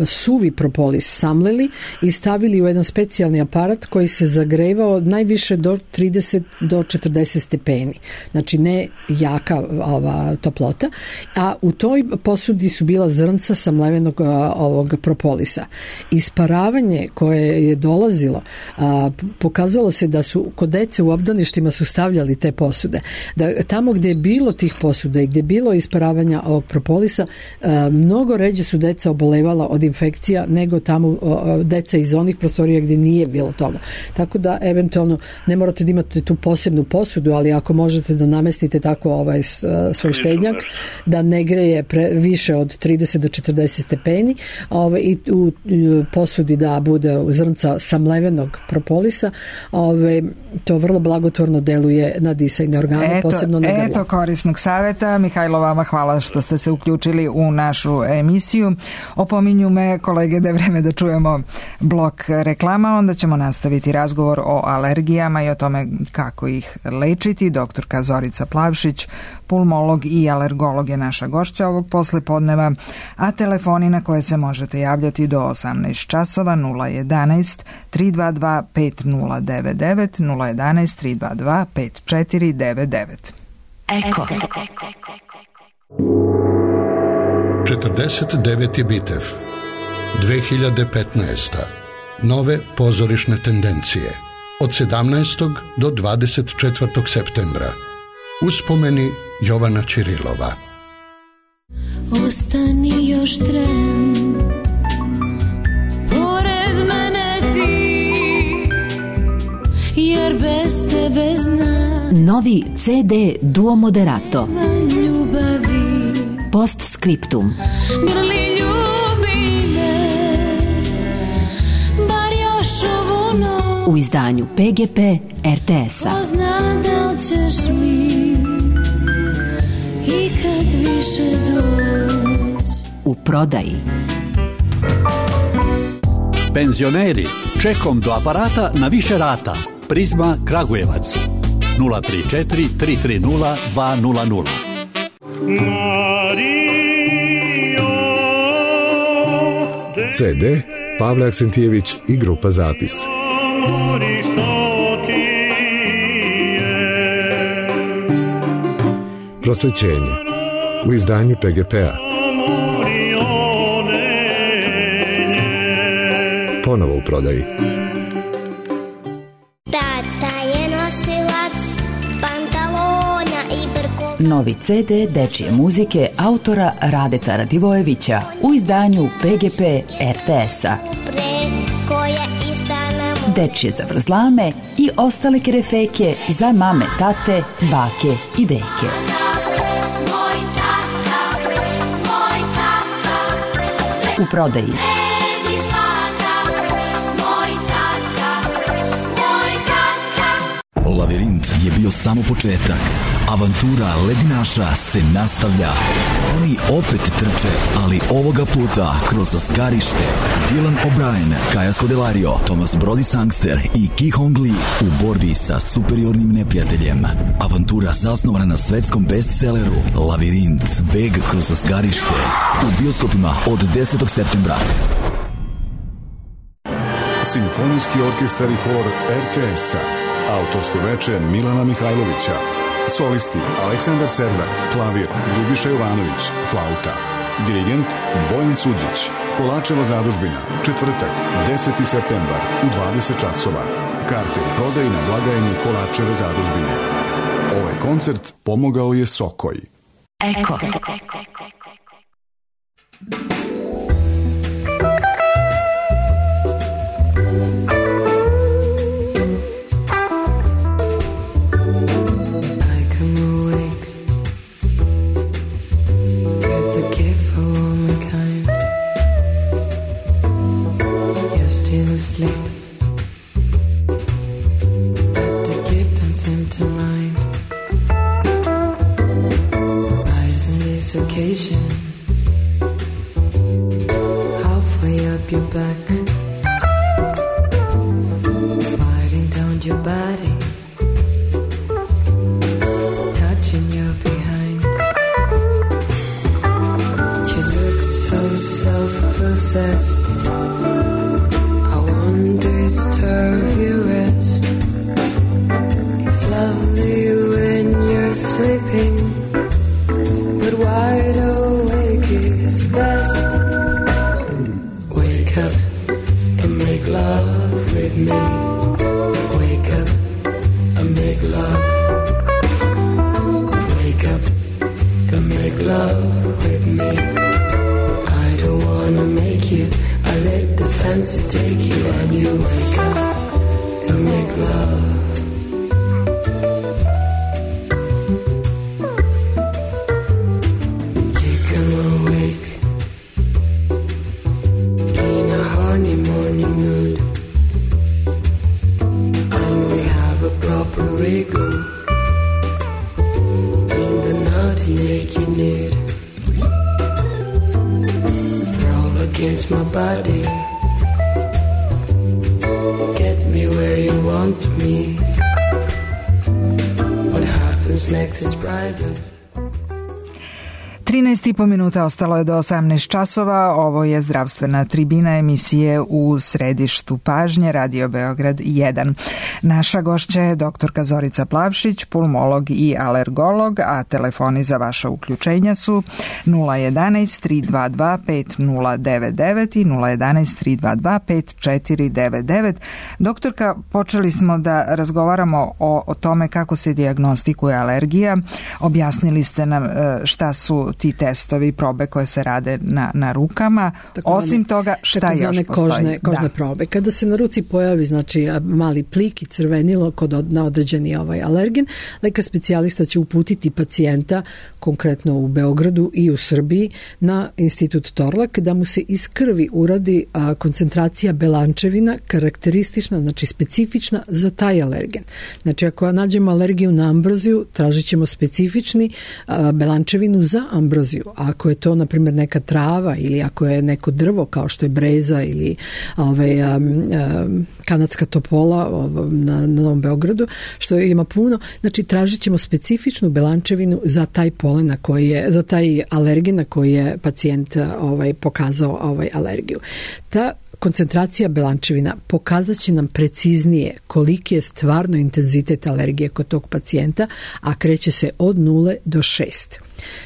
D: suvi propolis samleli i stavili u jedan specijalni aparat koji se zagrevao najviše do trideset do četrdeset stepeni. Znači ne jaka ova toplota, a u toj posudi su bila zrnca samlevenog a, ovog propolisa. Isparavanje koje je dolazilo a, pokazalo se da su kod dece u obdaništima su stavljali te posude. Da tamo gde je bilo tih posuda i gde je bilo isparavanja ovog propolisa, a, mnogo ređe su deca obolevala od infekcija nego tamo a, deca iz onih prostorija gde nije bilo toga. Tako da eventualno ne morate da imate tu posebnu posudu, ali ako možete da namestite tako ovaj svoj štednjak da ne greje pre, više od trideset do četrdeset stepeni, ovaj, i u posudi da bude zrnca samlevenog propolisa, ovaj, to vrlo blagotvorno deluje na disajne organe,
C: eto,
D: posebno na grlo.
C: Eto korisnog saveta. Mihajlo, vama hvala što ste se uključili u našu emisiju. Opominju me kolege da je vreme da čujemo blok reklama, onda ćemo nastaviti razgovor o alergijama i o tome kako ih lečiti. Doktorka Zorica Plavšić, pulmolog i alergolog je naša gošća ovog poslepodneva, a telefoni na koje se možete javljati do osamnaest časova nula jedanaest tri dva dva pet nula devet devet, nula jedanaest tri dva dva pet četiri devet devet.
K: Eko.
L: četrdeset deveti Bitev, dve hiljade petnaesta. Nove pozorišne tendencije. Od sedamnaestog do dvadeset četvrtog septembra. Uspomeni Jovana Ćirilova.
M: Ostani još tren, pored mene ti, jer bez tebe znam.
K: Novi ce de Duo Moderato.
M: Ljubavi.
K: Postscriptum.
M: Grli ljubi me, bar još ovu noć.
K: U izdanju pe ge pe er te es-a.
M: Pozna da li ćeš mi i kad više doći.
K: U prodaji.
N: Penzioneri, čekom do aparata na više rata. Prizma Kragujevac. nula tri četiri tri tri nula dva nula nula.
O: ce de Pavle Aksentijević i grupa Zapis. Prosvećenje u izdanju pe ge pe-a. Ponovo u prodaji.
P: Tata je nosilac pantalona i brko.
K: Novi ce de dečije muzike autora Radeta Radivojevića u izdanju pe ge pe er te es-a. Dečije zavrzlame i ostale kerefeke za mame, tate, bake i deke. U prodaji.
Q: Lavirint je bio samo početak. Avantura ledinaša se nastavlja. Oni opet trče, ali ovoga puta kroz zgarište. Dylan O'Brien, Kaja Scodelario, Thomas Brody Sangster i Ki Hong Lee u borbi sa superiornim neprijateljem. Avantura zasnovana na svetskom bestselleru Lavirint, beg kroz zgarište. U bioskopima od desetog septembra.
R: Simfonijski orkestar i hor er te es-a, autorsko veče Milana Mihajlovića, solisti Aleksandar Serdar, klavir Ljubiša Jovanović, flauta, dirigent Bojan Suđić. Kolačeva zadužbina, četvrtak, deseti septembar u dvadeset časova. Karte u prodaji na blagajni Kolačeve zadužbine. Ovaj koncert pomogao je Sokoj.
K: Eko.
M: Asleep, but the gift don't seem to mind. Rise on this occasion, halfway up your back, sliding down your body, touching your behind. You look so self-possessed, disturb your rest. It's lovely when you're sleeping, but wide awake is best. Wake up and make love with me. Wake up and make love. Wake up and make love with me. I don't wanna make you, I let the fancy take you, and you wake up and make love. You come awake in a horny morning mood, and we have a proper wriggle in the naughty naked nude. Roll against my body, get me where you want me. What happens next is private.
C: trinaest i po minuta ostalo je do osamnaest časova. Ovo je zdravstvena tribina emisije U središtu pažnje, Radio Beograd jedan. Naša gošća je doktorka Zorica Plavšić, pulmolog i alergolog, a telefoni za vaša uključenja su nula jedanaest tri dva dva pet nula devet devet i nula jedanaest tri dva dva pet četiri devet devet. Doktorka, počeli smo da razgovaramo o, o tome kako se dijagnostikuje alergija. Objasnili ste nam šta su ti testovi, probe koje se rade na, na rukama. Tako Osim one, toga, šta još postoji?
D: Kožne, kožne da. probe. Kada se na ruci pojavi znači mali plik i crvenilo kod od, na određeni ovaj alergen, lekar specijalista će uputiti pacijenta, konkretno u Beogradu i u Srbiji, na institut Torlak, da mu se iz krvi uradi a, koncentracija belančevina karakteristična, znači specifična za taj alergen. Znači ako nađemo alergiju na ambroziju, tražit ćemo specifični a, belančevinu za ambroziju. Ako je to, na primjer, neka trava ili ako je neko drvo kao što je breza ili ovaj, um, um, kanadska topola um, na, na Novom Beogradu, što ima puno, znači tražit ćemo specifičnu belančevinu za taj polen na koji je, za taj alergen na koji je pacijent ovaj, pokazao ovaj, alergiju. Ta koncentracija belančevina pokazat će nam preciznije koliki je stvarno intenzitet alergije kod tog pacijenta, a kreće se od nule do šest.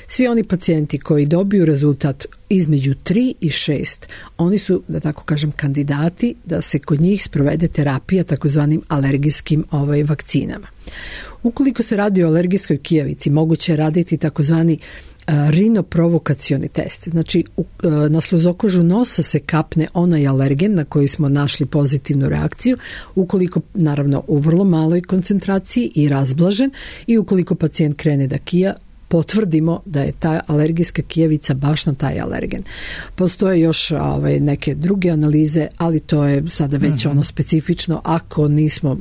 D: Svi oni pacijenti koji dobiju rezultat između tri i šest, oni su, da tako kažem, kandidati da se kod njih sprovede terapija takozvanim alergijskim ovaj, vakcinama. Ukoliko se radi o alergijskoj kijavici, moguće je raditi takozvani rinoprovokacioni test. Znači, na sluzokožu nosa se kapne onaj alergen na koji smo našli pozitivnu reakciju, ukoliko, naravno, u vrlo maloj koncentraciji i razblažen, i ukoliko pacijent krene da kija, potvrdimo da je ta alergijska kijavica baš na taj alergen. Postoje još ovaj, neke druge analize, ali to je sada već mm-hmm. ono specifično. Ako nismo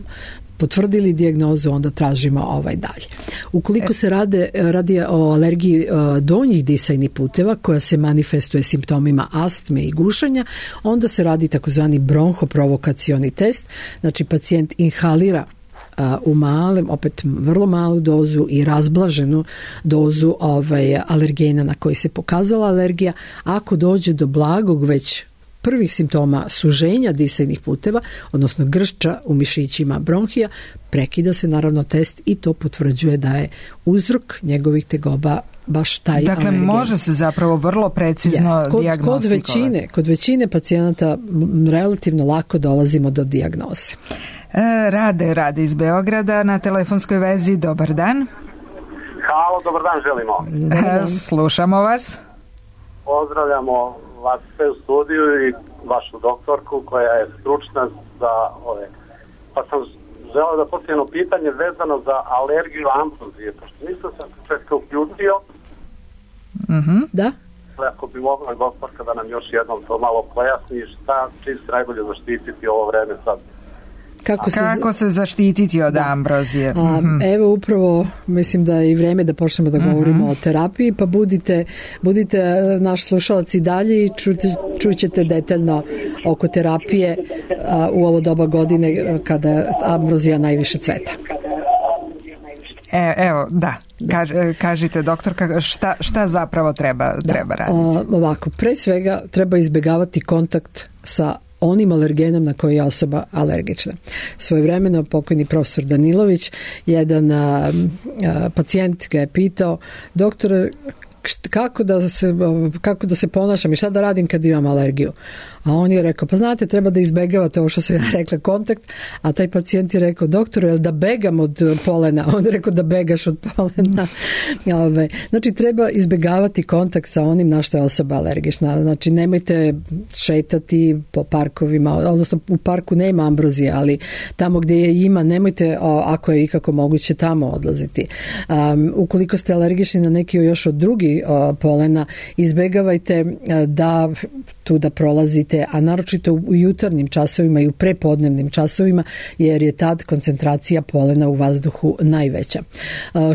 D: potvrdili dijagnozu, onda tražimo ovaj dalje. Ukoliko se rade, radi o alergiji donjih disajnih puteva koja se manifestuje simptomima astme i gušanja, onda se radi takozvani bronhoprovokacioni test. Znači pacijent inhalira u malem, opet vrlo malu dozu i razblaženu dozu ovaj, alergena na koji se pokazala alergija. Ako dođe do blagog već prvih simptoma suženja disajnih puteva, odnosno gršča u mišićima bronhija, prekida se naravno test i to potvrđuje da je uzrok njegovih tegoba baš taj
C: dakle,
D: alergen.
C: Dakle, može se zapravo vrlo precizno yes. kod, dijagnostikovati.
D: Kod većine, kod većine pacijenata relativno lako dolazimo do dijagnoze.
C: E, rade, rade iz Beograda na telefonskoj vezi. Dobar dan.
S: Halo, dobar dan želimo.
C: Dobar dan. Slušamo vas.
S: Pozdravljamo vas sve u studiju i vašu doktorku koja je stručna za ove. Pa sam želeo da postavim pitanje vezano za alergiju ambrozije, pošto nisam se početka uključio.
C: Mm-hmm.
D: Da.
S: Ako bi mogla doktorka da nam još jednom to malo pojasni šta čim se najbolje zaštititi ovo vreme sad.
C: Kako se, Kako se zaštititi od da. ambrozije?
D: A, mm-hmm. Evo upravo mislim da je i vreme da počnemo da govorimo mm-hmm. o terapiji, pa budite, budite naš slušalac i dalje i čujte, čućete detaljno oko terapije a, u ovo doba godine kada ambrozija najviše cveta.
C: E, evo, da. Kaž, kažite doktorka, šta, šta zapravo treba, da. treba raditi?
D: A, ovako, pre svega treba izbjegavati kontakt sa onim alergenom na koji je osoba alergična. Svojevremeno pokojni profesor Danilović, jedan a, a, pacijent ga je pitao, doktore, kako da se kako da se ponašam i šta da radim kad imam alergiju. A on je rekao, pa znate, treba da izbegavate ovo što sam ja rekla, kontakt, a taj pacijent je rekao, doktore, jel da begam od polena? On je rekao da begaš od polena. Znači, treba izbegavati kontakt sa onim na što je osoba alergična. Znači, nemojte šetati po parkovima, odnosno u parku nema ambrozije, ali tamo gdje je ima, nemojte, ako je ikako moguće, tamo odlaziti. Um, ukoliko ste alergični na neki još od drugi uh, polena, izbegavajte uh, da tu da prolazite, a naročito u jutarnjim časovima i u prepodnevnim časovima, jer je tad koncentracija polena u vazduhu najveća.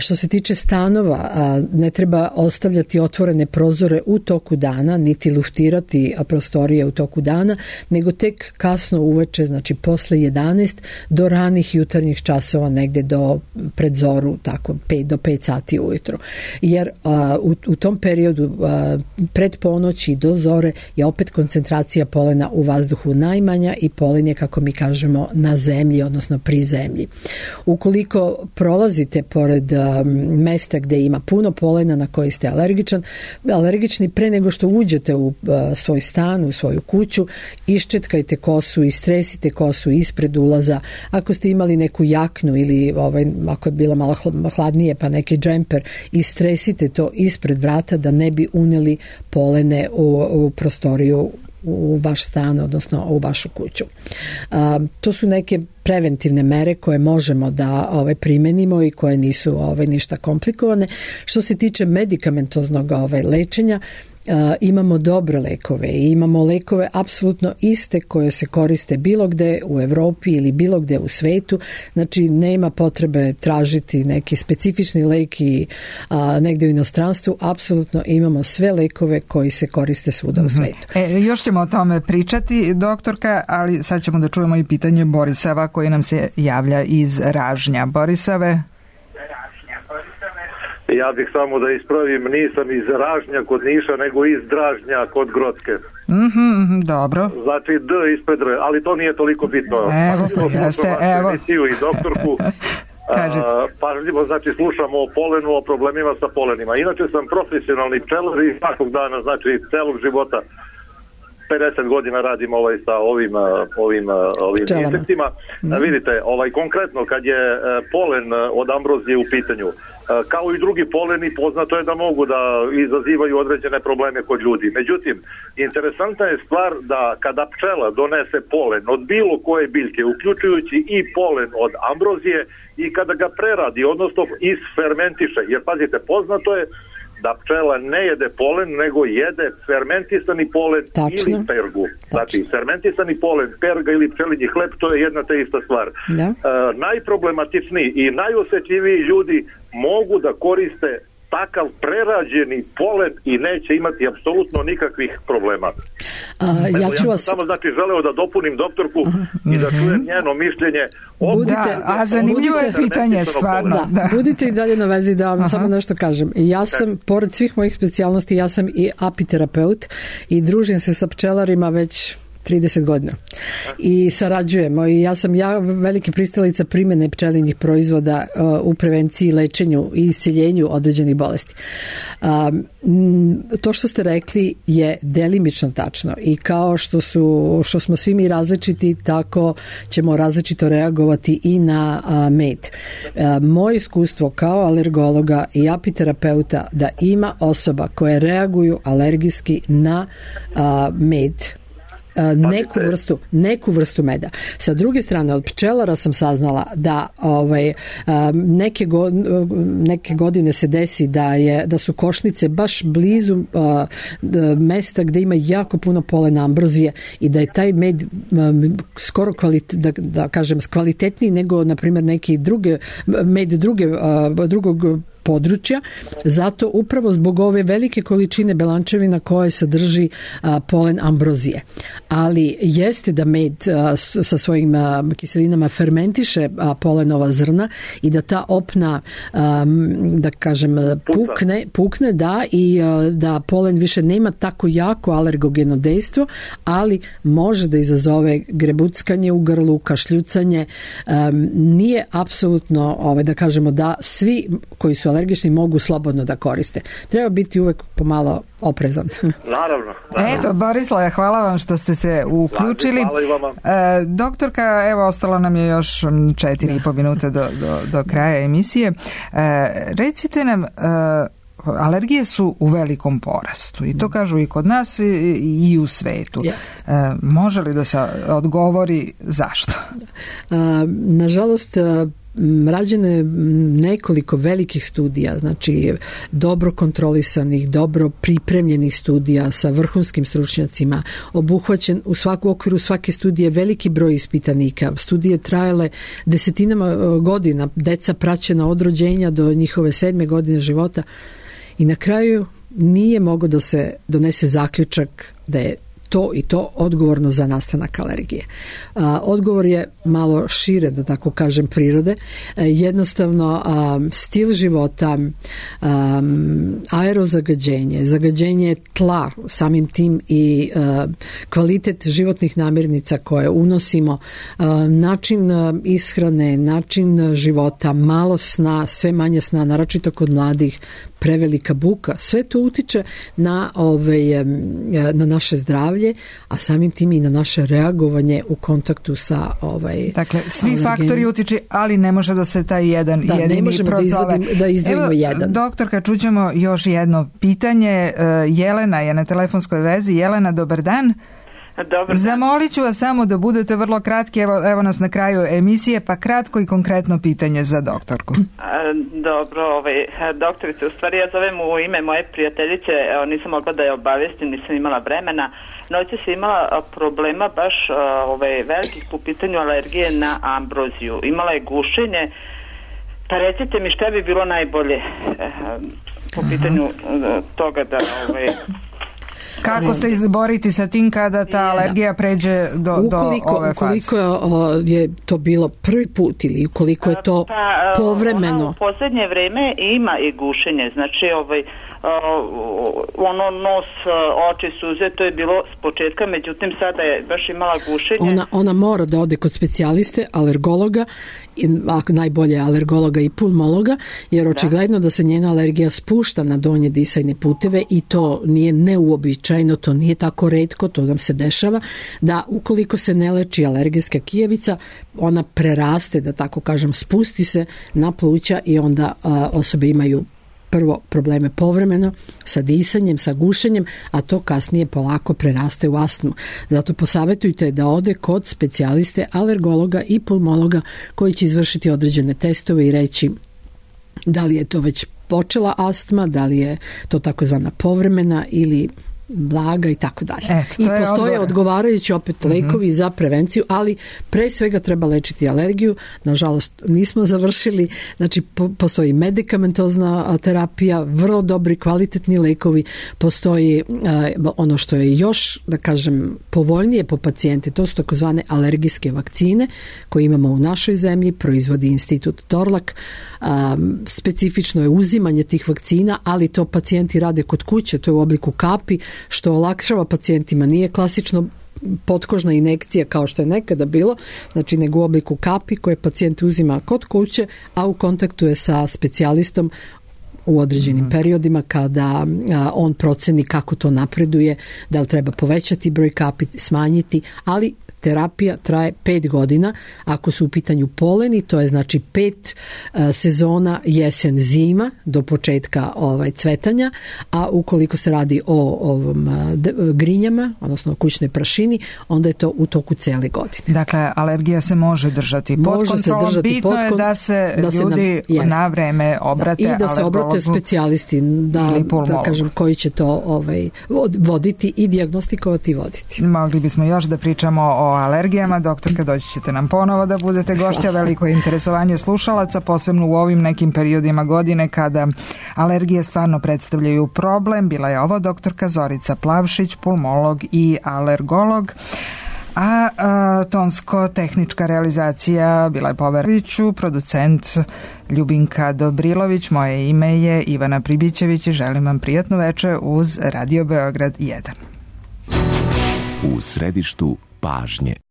D: Što se tiče stanova, ne treba ostavljati otvorene prozore u toku dana, niti luftirati prostorije u toku dana, nego tek kasno uveče, znači posle jedanaest do ranih jutarnjih časova, negde do predzoru, tako pet do pet sati ujutro. Jer u, u tom periodu pred ponoći do zore je opet koncentracija polena u vazduhu najmanja i polen je, kako mi kažemo, na zemlji, odnosno pri zemlji. Ukoliko prolazite pored um, mesta gde ima puno polena na koji ste alergičan, alergični, pre nego što uđete u uh, svoj stan, u svoju kuću, iščetkajte kosu, istresite kosu ispred ulaza. Ako ste imali neku jaknu ili ovaj, ako je bila malo hladnije pa neki džemper, istresite to ispred vrata da ne bi uneli polene u, u prostoriju u vaš stan, odnosno u vašu kuću. A, to su neke preventivne mere koje možemo da ovaj, primenimo i koje nisu ovaj, ništa komplikovane. Što se tiče medikamentoznog ovaj, lečenja, Uh, imamo dobre lekove i imamo lekove apsolutno iste koje se koriste bilo gde u Evropi ili bilo gde u svetu, znači nema potrebe tražiti neki specifični lek i uh, negde u inostranstvu, apsolutno imamo sve lekove koji se koriste svuda mm-hmm. u svetu.
C: E, još ćemo o tome pričati, doktorka, ali sad ćemo da čujemo i pitanje Borisava koji nam se javlja iz Ražnja. Borisave?
T: Ja bih samo da ispravim, nisam iz Ražnja kod Niša, nego iz Dražnja kod Grocke.
C: Mm-hmm, dobro.
T: Znači D ispred R, ali to nije toliko bitno.
C: Evo, pa jeste, evo.
T: I doktorku, a, pažljivo, znači slušamo o polenu, o problemima sa polenima. Inače sam profesionalni pčelar i svakog dana, znači celog života, pedeset godina radim ovaj sa ovim ovim ovim insektima. Mm. Vidite, ovaj konkretno kad je polen od ambrozije u pitanju, kao i drugi poleni, poznato je da mogu da izazivaju određene probleme kod ljudi. Međutim, interesantna je stvar da kada pčela donese polen od bilo koje biljke, uključujući i polen od ambrozije, i kada ga preradi, odnosno isfermentiše, jer pazite, poznato je da pčela ne jede polen, nego jede fermentisani polen. Tačno. Ili pergu. Tačno. Znači, fermentisani polen, perga ili pčelinji hleb, to je jedna te ista stvar. Da. E, najproblematičniji i najosetljiviji ljudi mogu da koriste takav prerađeni polen i neće imati apsolutno nikakvih problema.
D: A, ja ću vas...
T: Samo znači želeo da dopunim doktorku uh-huh. i da čujem njeno mišljenje.
D: Budite,
C: a zanimljivo je pitanje stvarno.
D: Da, da. Budite i dalje na vezi da vam uh-huh. samo nešto kažem. Ja sam, pored svih mojih specijalnosti, ja sam i apiterapeut i družim se sa pčelarima već trideset godina. I sarađujemo i ja sam ja veliki pristalica primjene pčelinjih proizvoda uh, u prevenciji, lečenju i isceljenju određenih bolesti. Um, to što ste rekli je delimično tačno i kao što su što smo svi mi različiti, tako ćemo različito reagovati i na uh, med. Uh, moje iskustvo kao alergologa i apiterapeuta da ima osoba koje reaguju alergijski na uh, med, neku vrstu, neku vrstu meda. Sa druge strane, od pčelara sam saznala da ovaj, neke, go, neke godine se desi da, je, da su košnice baš blizu uh, mesta gde ima jako puno polena ambrozije i da je taj med um, skoro kvalit, da, da kažem kvalitetniji nego na primjer neki druge med druge, uh, drugog područja, zato upravo zbog ove velike količine belančevina koje sadrži a, polen ambrozije. Ali jeste da med a, sa svojim a, kiselinama fermentiše a, polenova zrna i da ta opna a, da kažem pukne, pukne da i a, da polen više nema tako jako alergogeno dejstvo, ali može da izazove grebuckanje u grlu, kašljucanje. A, nije apsolutno ovaj, da kažemo da svi koji su alergični mogu slobodno da koriste. Treba biti uvek pomalo oprezan.
T: Naravno.
C: naravno. Eto, Borislave, hvala vam što ste se uključili.
T: Hvala i vama.
C: E, doktorka, evo, ostalo nam je još četiri i po minute do, do, do kraja emisije. E, recite nam, e, alergije su u velikom porastu i to kažu i kod nas i, i u svetu. E, može li da se odgovori zašto?
D: A, nažalost, rađeno je nekoliko velikih studija, znači dobro kontrolisanih, dobro pripremljenih studija sa vrhunskim stručnjacima, obuhvaćen u svaku okviru svake studije veliki broj ispitanika. Studije trajale desetinama godina, deca praćena od rođenja do njihove sedme godine života i na kraju nije mogao da se donese zaključak da je to i to odgovorno za nastanak alergije. A, odgovor je malo šire, da tako kažem, prirode. E, jednostavno, a, stil života, a, aerozagađenje, zagađenje tla, samim tim i a, kvalitet životnih namirnica koje unosimo, a, način a, ishrane, način života, malo sna, sve manje sna, naročito kod mladih, prevelika buka, sve to utiče na, ove, na naše zdravlje, a samim tim i na naše reagovanje u kontaktu sa ovaj,
C: dakle, svi alergen... faktori utiče, ali ne može da se taj jedan
D: da,
C: jedini
D: ne možemo
C: prozove.
D: da, izvodim, da izdvojimo
C: Evo,
D: jedan.
C: Doktorka, čućemo još jedno pitanje. Jelena je na telefonskoj vezi. Jelena, dobar dan.
U: Dobar.
C: Zamolit ću vas samo da budete vrlo kratki, evo, evo nas na kraju emisije, pa kratko i konkretno pitanje za doktorku.
U: Dobro, ovaj, doktorice, u stvari ja zovem u ime moje prijateljice, evo, nisam mogla da je obavijestim, nisam imala vremena, noće se imala problema baš ovaj, velikih po pitanju alergije na ambroziju, imala je gušenje, pa recite mi šta bi bilo najbolje po pitanju toga da... Ovaj,
C: kako se izboriti sa tim kada ta alergija pređe do,
D: ukoliko,
C: do ove faze?
D: Ukoliko je to bilo prvi put ili ukoliko je to
U: pa,
D: povremeno?
U: Ona u posljednje vreme ima i gušenje, znači ovaj, ono nos, oči, suze, to je bilo s početka, međutim sada je baš imala gušenje.
D: Ona, ona mora da ode kod specijaliste, alergologa, ako najbolje alergologa i pulmologa, jer očigledno da se njena alergija spušta na donje disajne puteve i to nije neuobičajeno, to nije tako retko, to nam se dešava, da ukoliko se ne leči alergijska kijevica, ona preraste, da tako kažem, spusti se na pluća i onda a, osobe imaju prvo probleme povremeno sa disanjem, sa gušenjem, a to kasnije polako preraste u astmu. Zato posavetujte da ode kod specijaliste, alergologa i pulmologa koji će izvršiti određene testove i reći da li je to već počela astma, da li je to takozvana povremena ili blaga i tako dalje. I postoje odgovarajući opet lekovi mm-hmm. za prevenciju, ali pre svega treba lečiti alergiju. Nažalost, nismo završili. Znači, po, postoji medikamentozna terapija, vrlo dobri, kvalitetni lekovi. Postoji uh, ono što je još, da kažem, povoljnije po pacijente. To su takozvane alergijske vakcine koje imamo u našoj zemlji. Proizvodi institut Torlak. Um, specifično je uzimanje tih vakcina, ali to pacijenti rade kod kuće. To je u obliku kapi, što olakšava pacijentima. Nije klasično potkožna injekcija kao što je nekada bilo, znači nego u obliku kapi koje pacijent uzima kod kuće, a u kontaktu je sa specijalistom u određenim mm. periodima kada a, on proceni kako to napreduje, da li treba povećati broj kapi, smanjiti, ali terapija traje pet godina. Ako su u pitanju poleni, to je znači pet a, sezona jesen zima do početka ovaj cvetanja, a ukoliko se radi o ovom a, d, grinjama, odnosno kućnoj prašini, onda je to u toku cele godine.
C: Dakle, alergija se može držati pod
D: može
C: kontrolom.
D: Se držati
C: Bitno
D: pod,
C: je da se
D: da
C: ljudi
D: se nam,
C: na vreme obrate
D: da, i da se obrate specijalisti da, da kažem koji će to ovaj, voditi i dijagnostikovati i voditi.
C: Mogli bismo još da pričamo o alergijama. Doktorka, doći ćete nam ponovo da budete gošća. Veliko je interesovanje slušalaca, posebno u ovim nekim periodima godine kada alergije stvarno predstavljaju problem. Bila je ovo doktorka Zorica Plavšić, pulmolog i alergolog. A, a tonsko-tehnička realizacija bila je Poveroviću, producent Ljubinka Dobrilović, moje ime je Ivana Pribićević i želim vam prijatno veče uz Radio Beograd jedan.
A: U središtu pažnje.